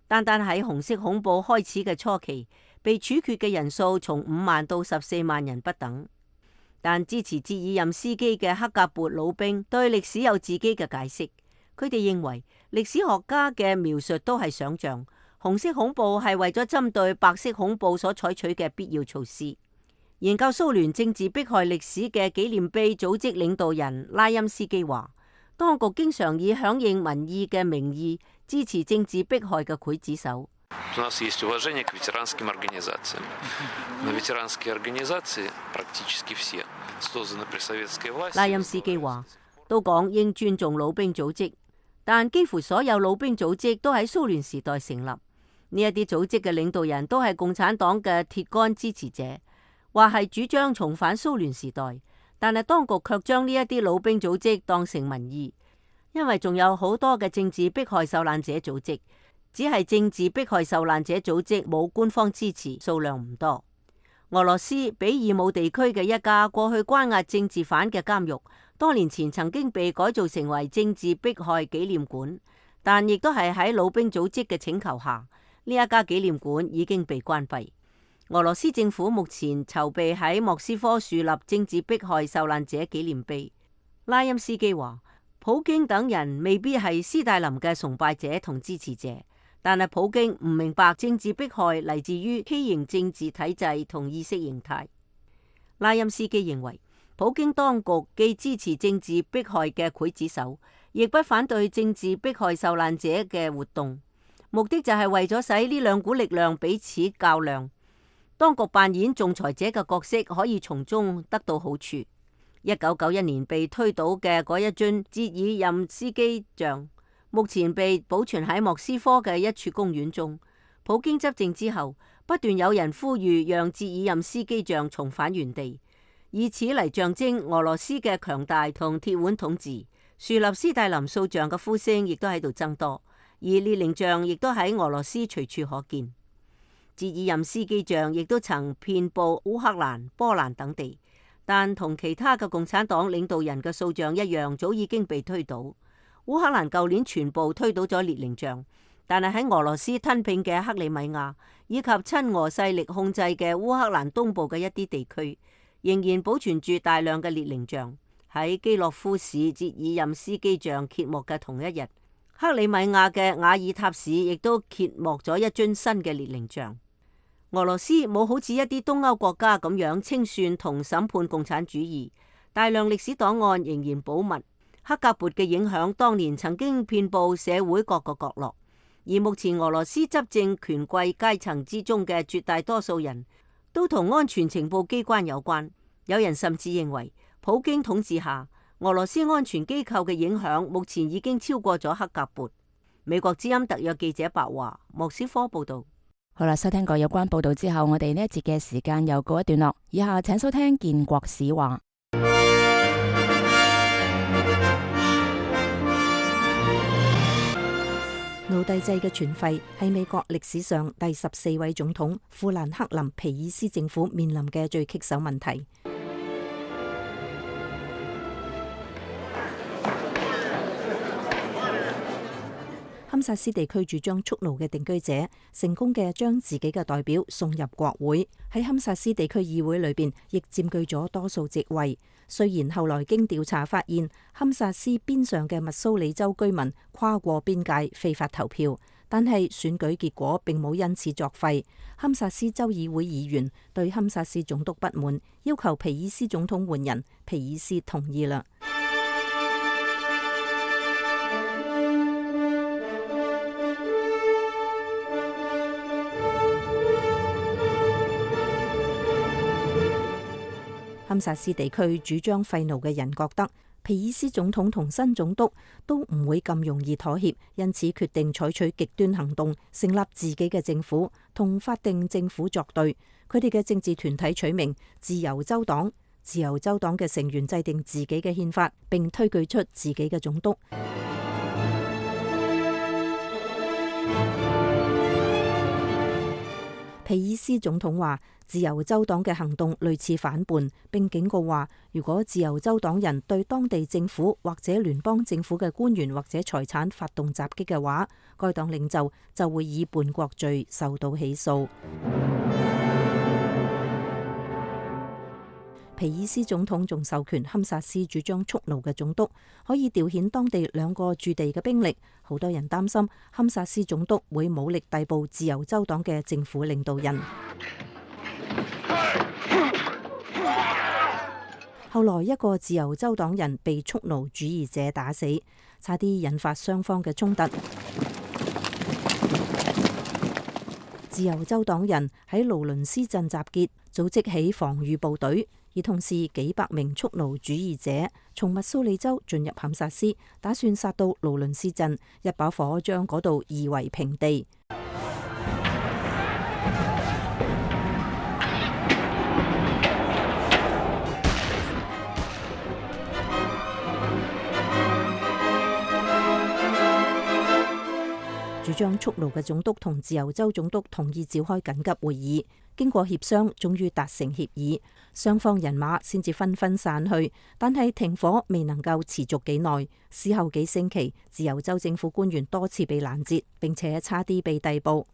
Speaker 5: 單單喺紅色恐怖開始嘅初期，被處決嘅人數從五萬到十四萬人不等。但支持捷爾任斯基嘅克格勃老兵對歷史有自己嘅解釋，佢哋認為歷史學家嘅描述都係想象，紅色恐怖係為咗針對白色恐怖所採取嘅必要措施。研究蘇聯政治迫害歷史嘅紀念碑組織領導人拉欽斯基話，當局經常以響應民意嘅名義支持政治迫害嘅劊子手。
Speaker 10: У нас есть уважение к ветеранским организациям. Но ветеранские организации практически все созданы при советской власти.
Speaker 5: 拉欽斯基話：都講應尊重老兵組織，但幾乎所有老兵組織都喺蘇聯時代成立。呢一啲組織嘅領導人都係共產黨嘅鐵桿支持者，或係主張重返蘇聯時代。但係當局卻將呢一啲老兵組織當成民意，因為仲有好多嘅政治迫害受難者組織。只係政治迫害受難者組織冇官方支持，數量唔多。俄羅斯比爾姆地區嘅一家過去關押政治犯嘅監獄，多年前曾經被改造成為政治迫害紀念館，但亦都係喺老兵組織嘅請求下，呢一家紀念館已經被關閉。俄羅斯政府目前籌備喺莫斯科樹立政治迫害受難者紀念碑。拉欽斯基話：普京等人未必係斯大林嘅崇拜者同支持者。但係普京唔明白政治迫害嚟自於畸形政治體制同意識形態。拉欽斯基認為，普京當局既支持政治迫害嘅劊子手，亦不反對政治迫害受難者嘅活動，目的就係為咗使呢兩股力量彼此較量。當局扮演仲裁者嘅角色，可以從中得到好處。一九九一年被推倒嘅嗰一尊捷爾任斯基像，目前被保存喺莫斯科嘅一處公園中。普京執政之後，不斷有人呼籲讓捷爾任斯基像重返原地，以此嚟象徵俄羅斯嘅強大同鐵腕統治。樹立斯大林塑像嘅呼聲亦都喺度增多，而列寧像亦都喺俄羅斯隨處可見。捷爾任斯基像亦都曾遍佈烏克蘭、波蘭等地，但同其他嘅共產黨領導人嘅塑像一樣，早已經被推倒。烏克蘭舊年全部推倒咗列寧像，但係喺俄羅斯吞併嘅克里米亞以及親俄勢力控制嘅烏克蘭東部嘅一啲地區，仍然保存住大量嘅列寧像。喺基洛夫市捷爾任斯基像揭幕嘅同一日，克里米亞嘅瓦爾塔市亦都揭幕咗一尊新嘅列寧像。俄羅斯冇好似一啲東歐國家咁樣清算同審判共產主義，大量歷史檔案仍然保密。克格勃嘅影響當年曾經遍佈社會各個角落，而目前俄羅斯執政權貴階層之中嘅絕大多數人都同安全情報機關有關。有人甚至認為，普京統治下俄羅斯安全機構嘅影響目前已經超過咗克格勃。美國之音特約記者白華，莫斯科報道。
Speaker 2: 好啦，收聽過有關報道之後，我哋呢一節嘅時間又告一段落。以下請收聽建國史話。
Speaker 6: 奴隸制嘅存廢係美國歷史上第十四位總統富蘭克林皮爾斯政府面臨嘅最棘手問題。堪薩斯地區主張蓄奴嘅定居者成功嘅將自己嘅代表送入國會，喺堪薩斯地區議會裏邊亦佔據咗多數席位。雖然後來經調查發現堪薩斯邊上嘅密蘇里州居民跨過邊界非法投票，但係選舉結果並冇因此作廢。堪薩斯州議會議員對堪薩斯總督不滿，要求皮爾斯總統換人，皮爾斯同意啦。堪薩斯地區主張廢奴嘅人覺得皮爾斯總統同新總督都唔會咁容易妥協，因此決定採取極端行動，成立自己嘅政府，同法定政府作對。佢哋嘅政治團體取名自由州黨，自由州黨嘅成員制定自己嘅憲法，並推舉出自己嘅總督。皮爾斯總統話：自由州黨嘅行動類似反叛，並警告話，如果自由州黨人對當地政府或者聯邦政府嘅官員或者財產發動襲擊嘅話，該黨領袖就會以叛國罪受到起訴。皮爾斯總統仲授權堪薩斯主張蓄奴嘅總督可以調遣當地兩個駐地嘅兵力。好多人擔心堪薩斯總督會武力逮捕自由州黨嘅政府領導人。後來一個自由州黨人被蓄奴主義者打死，差啲引發雙方嘅衝突。自由州黨人喺勞倫斯鎮集結，組織起防禦部隊，而同時幾百名蓄奴主義者從密蘇里州進入堪薩斯，打算殺到勞倫斯鎮，一把火將嗰度夷為平地。主張蓄奴嘅總督同自由州總督同意召開緊急會議，經過協商，終於達成協議，雙方人馬先至紛紛散去。但係停火未能夠持續幾耐，事後幾星期，自由州政府官員多次被攔截，並且差啲被逮捕。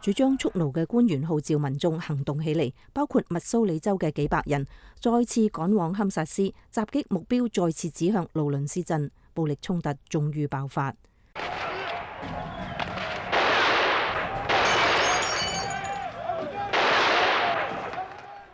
Speaker 6: 主張蓄奴嘅官員號召民眾行動起嚟，包括密蘇里州嘅幾百人，再次趕往堪薩斯，襲擊目標再次指向勞倫斯鎮，暴力衝突終於爆發。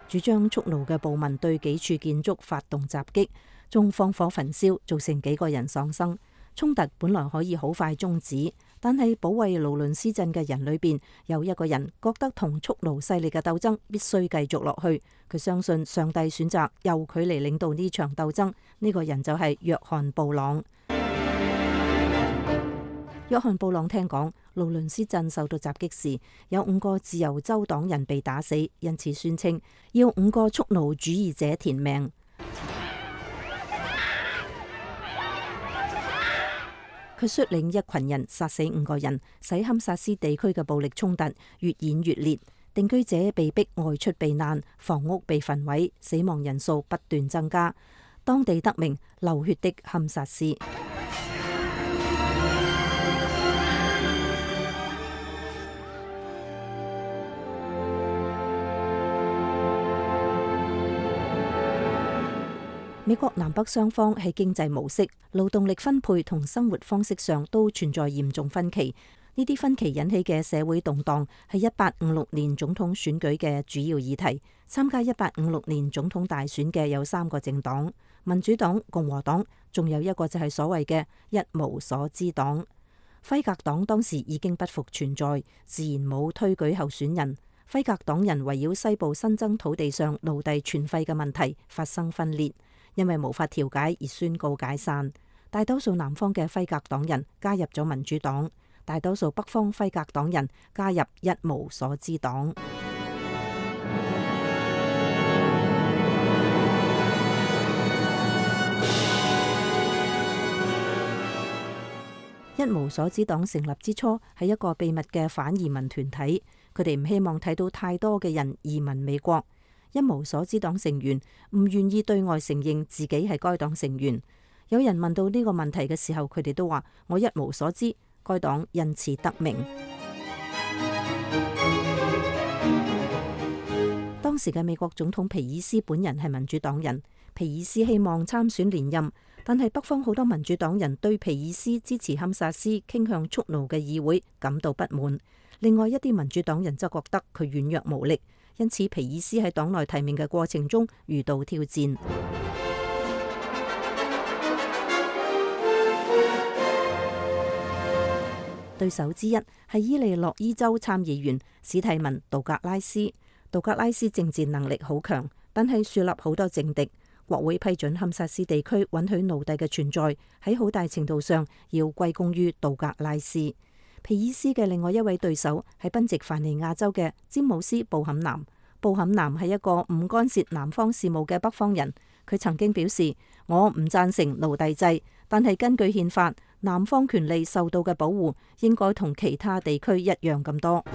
Speaker 6: 主張蓄奴嘅暴民對幾處建築發動襲擊，仲放火焚燒，造成幾個人喪生。衝突本來可以好快終止，但係保衛勞倫斯鎮嘅人裏邊有一個人覺得同蓄奴勢力嘅鬥爭必須繼續落去。佢相信上帝選擇由佢嚟領導呢場鬥爭。呢個人就係約翰布朗。約翰布朗聽講勞倫斯鎮受到襲擊時，有五個自由州黨人被打死，因此宣稱要五個蓄奴主義者填命。佢率領一群人殺死五個人，使堪薩斯地區嘅暴力衝突越演越烈，定居者被逼外出避難，房屋被焚毀，死亡人數不斷增加，當地得名流血的堪薩斯。美國南北雙方喺經濟模式、勞動力分配同生活方式上都存在嚴重分歧。呢啲分歧引起嘅社會動盪係一八五六年總統選舉嘅主要議題。參加一八五六年總統大選嘅有三個政黨：民主黨、共和黨，仲有一個就係所謂嘅一無所知黨。輝格黨當時已經不復存在，自然冇推舉候選人。輝格黨人圍繞西部新增土地上奴隸存廢嘅問題發生分裂，因為無法調解而宣告解散。大多數南方嘅輝格黨人加入咗民主黨，大多數北方輝格黨人加入一無所知黨。一無所知黨成立之初係一個秘密嘅反移民團體，佢哋唔希望睇到太多嘅人移民美國。一無所知黨成員唔願意對外承認自己係該黨成員。有人問到呢個問題嘅時候，佢哋都話：我一無所知。該黨因此得名。當時嘅美國總統皮爾斯本人係民主黨人，皮爾斯希望參選連任，但係北方好多民主黨人對皮爾斯支持堪薩斯傾向蓄奴嘅議會感到不滿。另外一啲民主黨人則覺得佢軟弱無力，因此皮爾斯喺黨內提名嘅過程中遇到挑戰。對手之一係伊利諾伊州參議員史蒂文·杜格拉斯。杜格拉斯政治能力好強，但係樹立好多政敵。國會批准堪薩斯地區允許奴隸嘅存在，喺好大程度上要歸功於杜格拉斯。皮爾斯嘅另外一位對手係賓夕凡尼亞州嘅詹姆斯·布坎南。布坎南係一個唔干涉南方事務嘅北方人。佢曾經表示：我唔贊成奴隸制，但係根據憲法，南方權利受到嘅保護應該同其他地區一樣咁多。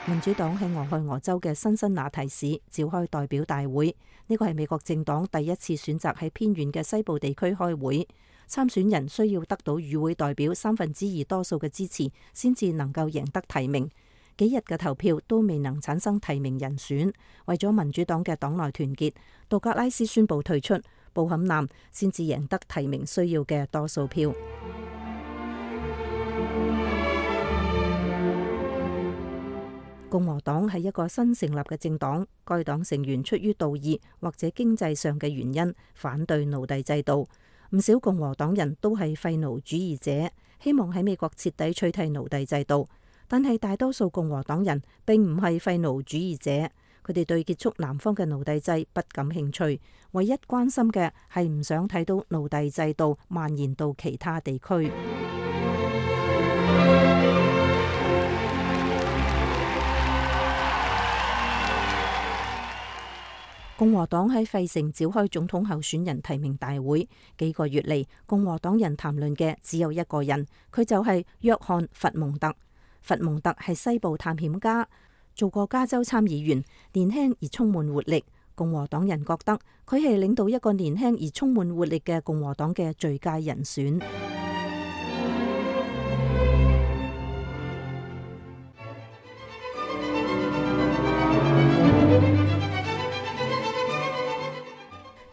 Speaker 6: 民主黨喺俄亥俄州嘅辛辛那提市召開代表大會，呢個係美國政黨第一次選擇喺偏遠嘅西部地區開會。參選人需要得到與會代表三分之二多數嘅支持，先至能夠贏得提名。幾日嘅投票都未能產生提名人選，為咗民主黨嘅黨內團結，杜格拉斯宣布退出，布坎南先至贏得提名需要嘅多數票。共和黨係一個新成立嘅政黨，該黨成員出於道義或者經濟上嘅原因反對奴隸制度。唔少共和黨人都係廢奴主義者，希望喺美國徹底取締奴隸制度。但係大多數共和黨人並唔係廢奴主義者，佢哋對結束南方嘅奴隸制不感興趣，唯一關心嘅係唔想睇到奴隸制度蔓延到其他地區。共和黨喺費城召開總統候選人提名大會，幾個月嚟，共和黨人談論嘅只有一個人，佢就係約翰·弗蒙特。弗蒙特係西部探險家，做過加州參議員，年輕而充滿活力。共和黨人覺得佢係領導一個年輕而充滿活力嘅共和黨嘅最佳人選。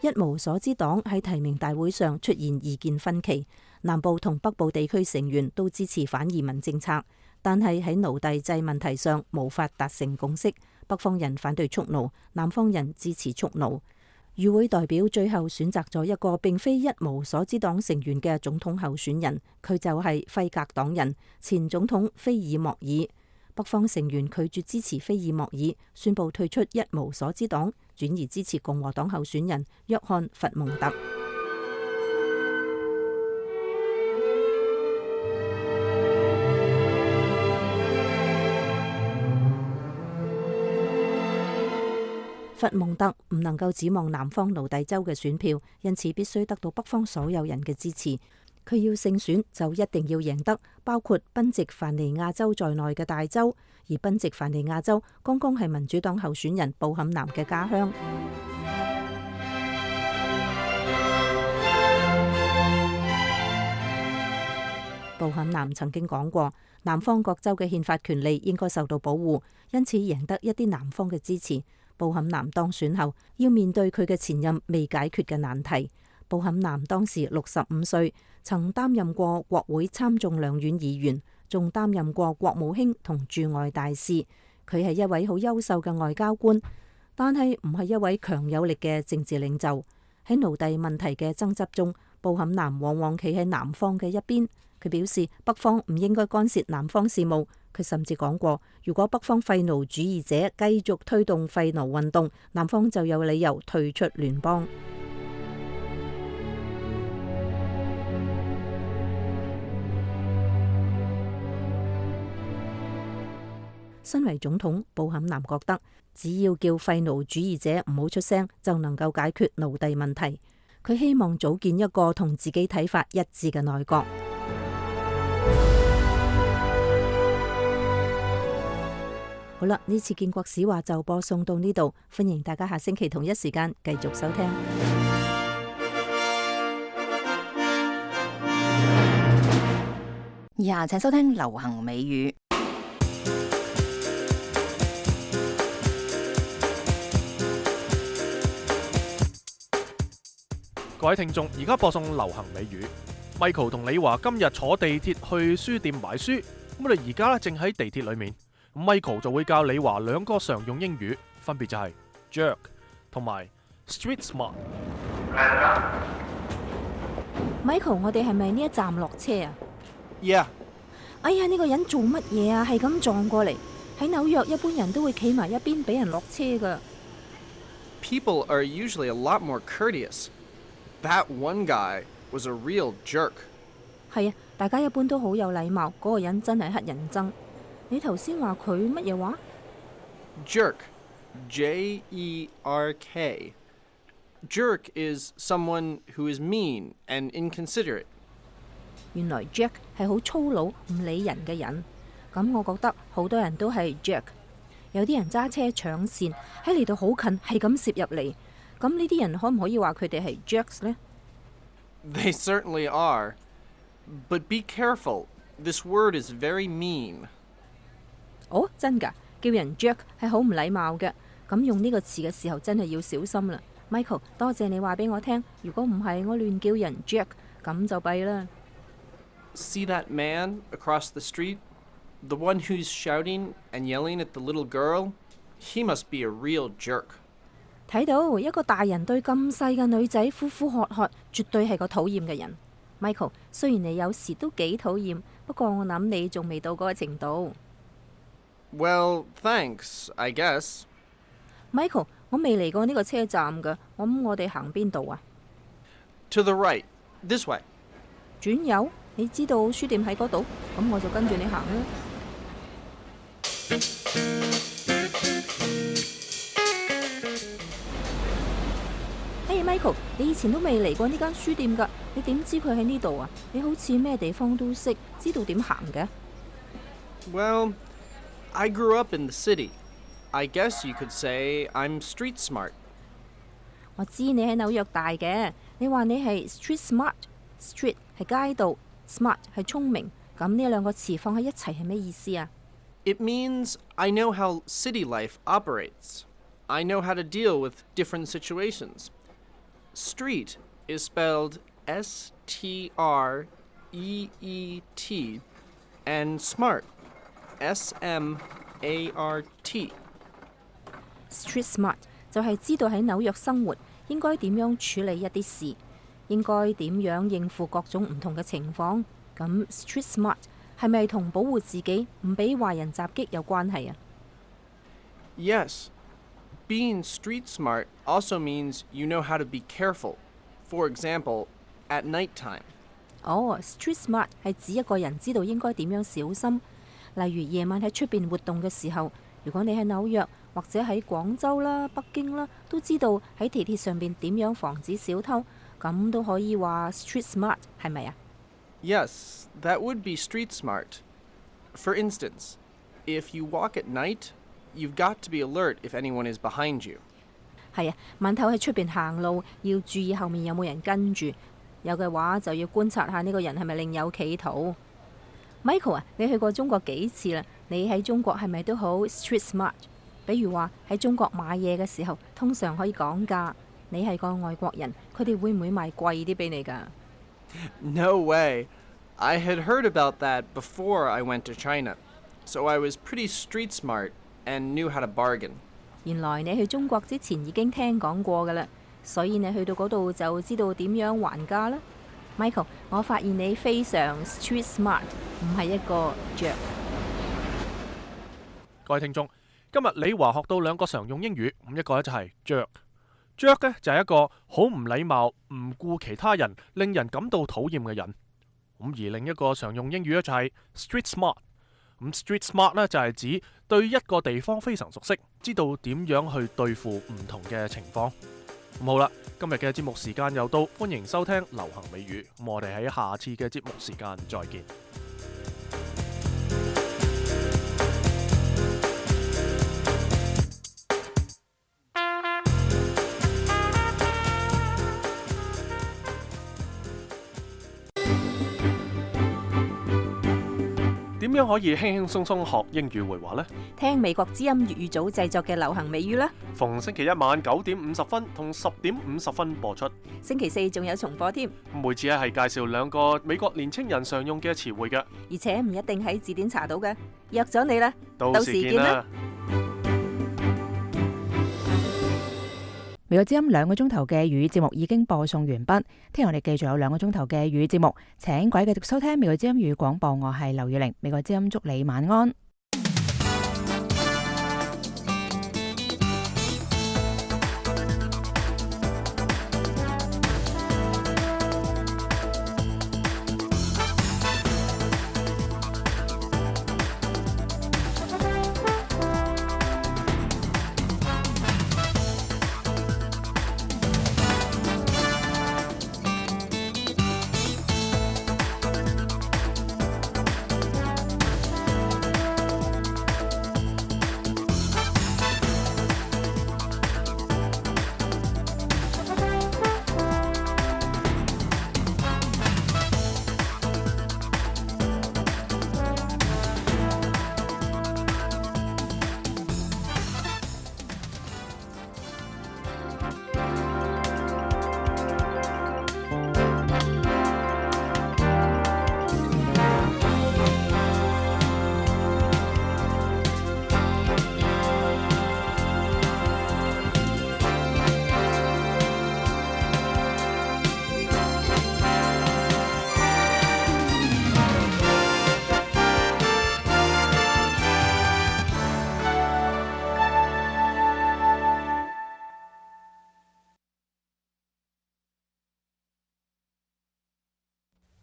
Speaker 6: 一無所知黨喺提名大會上出現意見分歧，南部同北部地區成員都支持反移民政策，但係喺奴隸制問題上無法達成共識。北方人反對蓄奴，南方人支持蓄奴。與會代表最後選擇咗一個並非一無所知黨成員嘅總統候選人，佢就係輝格黨人前總統菲爾莫爾。北方成員拒絕支持菲爾莫爾，宣布退出一無所知黨，轉而支持共和黨候選人約翰·弗蒙特。弗蒙特唔能夠指望南方奴隸州嘅選票，因此必須得到北方所有人嘅支持。佢要勝選就一定要贏得包括賓夕凡尼亞州在內嘅大州，而賓夕凡尼亞州剛剛係民主黨候選人布坎南嘅家鄉。布坎南曾經講過，南方各州嘅憲法權利應該受到保護，因此贏得一啲南方嘅支持。布坎南當選後要面對佢嘅前任未解決嘅難題。布坎南當時六十五歲，曾擔任過國會參眾兩院議員，仲擔任過國務卿同駐外大使。佢係一位好優秀嘅外交官，但係唔係一位強有力嘅政治領袖。喺奴隸問題嘅爭執中，布坎南往往企喺南方嘅一邊。佢表示北方唔應該干涉南方事務。佢甚至講過，如果北方廢奴主義者繼續推動廢奴運動，南方就有理由退出聯邦。身為總統，布坎南覺得只要叫廢奴主義者唔好出聲，就能夠解決奴隸問題。佢希望組建一個同自己睇法一致嘅內閣。好啦，呢次建國史話就播送到呢度，歡迎大家下星期同一時間繼續收聽。
Speaker 2: 以下請收聽流行美語。
Speaker 1: 各位聽眾，而家播送流行美語。Michael 同李華今日坐地鐵去書店買書，咁我哋而家咧正喺地鐵裏面。Michael 就會教李華兩個常用英語，分別就係 jerk 同埋 street smart。Michael，
Speaker 6: 我哋係咪呢一站落車啊
Speaker 1: ？Yeah。
Speaker 6: 哎呀，呢個人做乜嘢啊？係咁撞過嚟。喺紐約，一般人都會企埋一邊俾人落車噶。
Speaker 11: People are usually a lot more courteous. That one guy was a real jerk.
Speaker 6: 係啊，大家一般都好有禮貌。嗰個人真係乞人憎。你頭先話佢乜嘢話
Speaker 11: ？Jerk, J E R K. Jerk is someone who is mean and inconsiderate.
Speaker 6: 原來 jerk 係好粗魯、唔理人嘅人。咁我覺得好多人都係 jerk。有啲人揸車搶線，喺嚟到好近，係咁攝入嚟。咁呢啲人可唔可以話佢哋係 jerks 呢？
Speaker 11: They certainly are. But be careful. This word is very mean.
Speaker 6: 哦，真㗎，叫人 jerk 係好唔禮貌嘅。咁用呢個詞嘅時候真係要小心啦。Michael， 多謝你話俾我聽。如果唔係我亂叫人 jerk，咁就弊啦。
Speaker 11: See that man across the street? The one who's shouting and yelling at the little girl, he must be a real jerk.
Speaker 6: 睇到一個大人對咁細嘅女仔呼呼喝喝，絕對係個討厭嘅人。Michael， 雖然你有時都幾討厭，不過我諗你仲未到嗰個程度。
Speaker 11: Well, thanks, I guess.
Speaker 6: Michael， 我未嚟過呢個車站㗎，我諗我哋行邊度啊
Speaker 11: To the right, this way.
Speaker 6: 轉右？你知道書店喺嗰度，咁我就跟住你行啦。Hey Michael， 你以前都未嚟過呢間書店㗎，你點知佢喺呢度啊？你好似咩地方都識，知道點行嘅。
Speaker 11: Well, I grew up in the city. I guess you could say I'm street smart.
Speaker 6: 我知你喺紐約大嘅，你話你係 street smart。Street 係街道 ，smart 係聰明，咁呢兩個詞放喺一齊係咩意思啊？
Speaker 11: It means I know how city life operates. I know how to deal with different situations. Street is spelled S T R E E T, and smart, S M A R T.
Speaker 6: Street smart 就係知道喺紐約生活應該點樣處理一啲事，應該點樣應付各種唔同嘅情況。咁 street smart 係咪同保護自己唔俾壞人襲擊有關係啊？
Speaker 11: Yes. Being street smart also means you know how to be careful. For example, at night time.
Speaker 6: 哦 ，street smart 係指一個人知道應該點樣小心，例如夜晚喺出邊活動嘅時候，如果你喺紐約或者喺廣州啦、北京啦，都知道喺地鐵上邊點樣防止小偷，咁都可以話 street smart 係咪啊？
Speaker 11: Yes, that would be street smart. For instance, if you walk at night, you've got to be alert if anyone is behind you.
Speaker 6: 係啊，晚頭喺出邊行路要注意後面有冇人跟住，有嘅話就要觀察下呢個人係咪另有企圖。Michael 啊，你去過中國幾次啦？你喺中國係咪都好 street smart？ 比如話喺中國買嘢嘅時候，通常可以講價。你係個外國人，佢哋會唔會賣貴啲俾你㗎？
Speaker 11: No way. I had heard about that before I went to China, so I was pretty street smart and knew how to bargain.
Speaker 6: 原來你去中國之前已經聽講過㗎啦，所以你去到嗰度就知道點樣還價啦。Michael， 我發現你非常 street smart， 唔係一個 jerk。
Speaker 1: 各位聽眾，今日李華學到兩個常用英語，咁一個咧就係 jerk。jerk 咧就係一個好唔禮貌、唔顧其他人、令人感到討厭嘅人。咁而另一個常用英語咧就係 street smart。咁 street smart 咧就係指對一個地方非常熟悉，知道點樣去對付唔同嘅情況。咁好啦，今日嘅節目時間又到，歡迎收聽流行美語。咁我哋喺下次嘅節目時間再見。點樣可以輕輕鬆鬆學英語會話呢？
Speaker 6: 聽美國之音粵語組製作嘅流行美語啦。
Speaker 1: 逢星期一晚九點五十分同十點五十分播出。
Speaker 6: 星期四仲有重播添。
Speaker 1: 每次咧係介紹兩個美國年青人常用嘅詞彙嘅，
Speaker 6: 而且唔一定喺字典查到嘅。約咗你啦，
Speaker 1: 到時見啦。
Speaker 2: 美國之音兩個鐘頭嘅粵語節目已經播送完畢，聽日我哋繼續有兩個鐘頭嘅粵語節目，請各位繼續收聽美國之音粵語廣播，我係劉月玲，美國之音祝你晚安。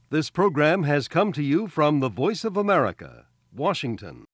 Speaker 12: This program has come to you from the Voice of America, Washington.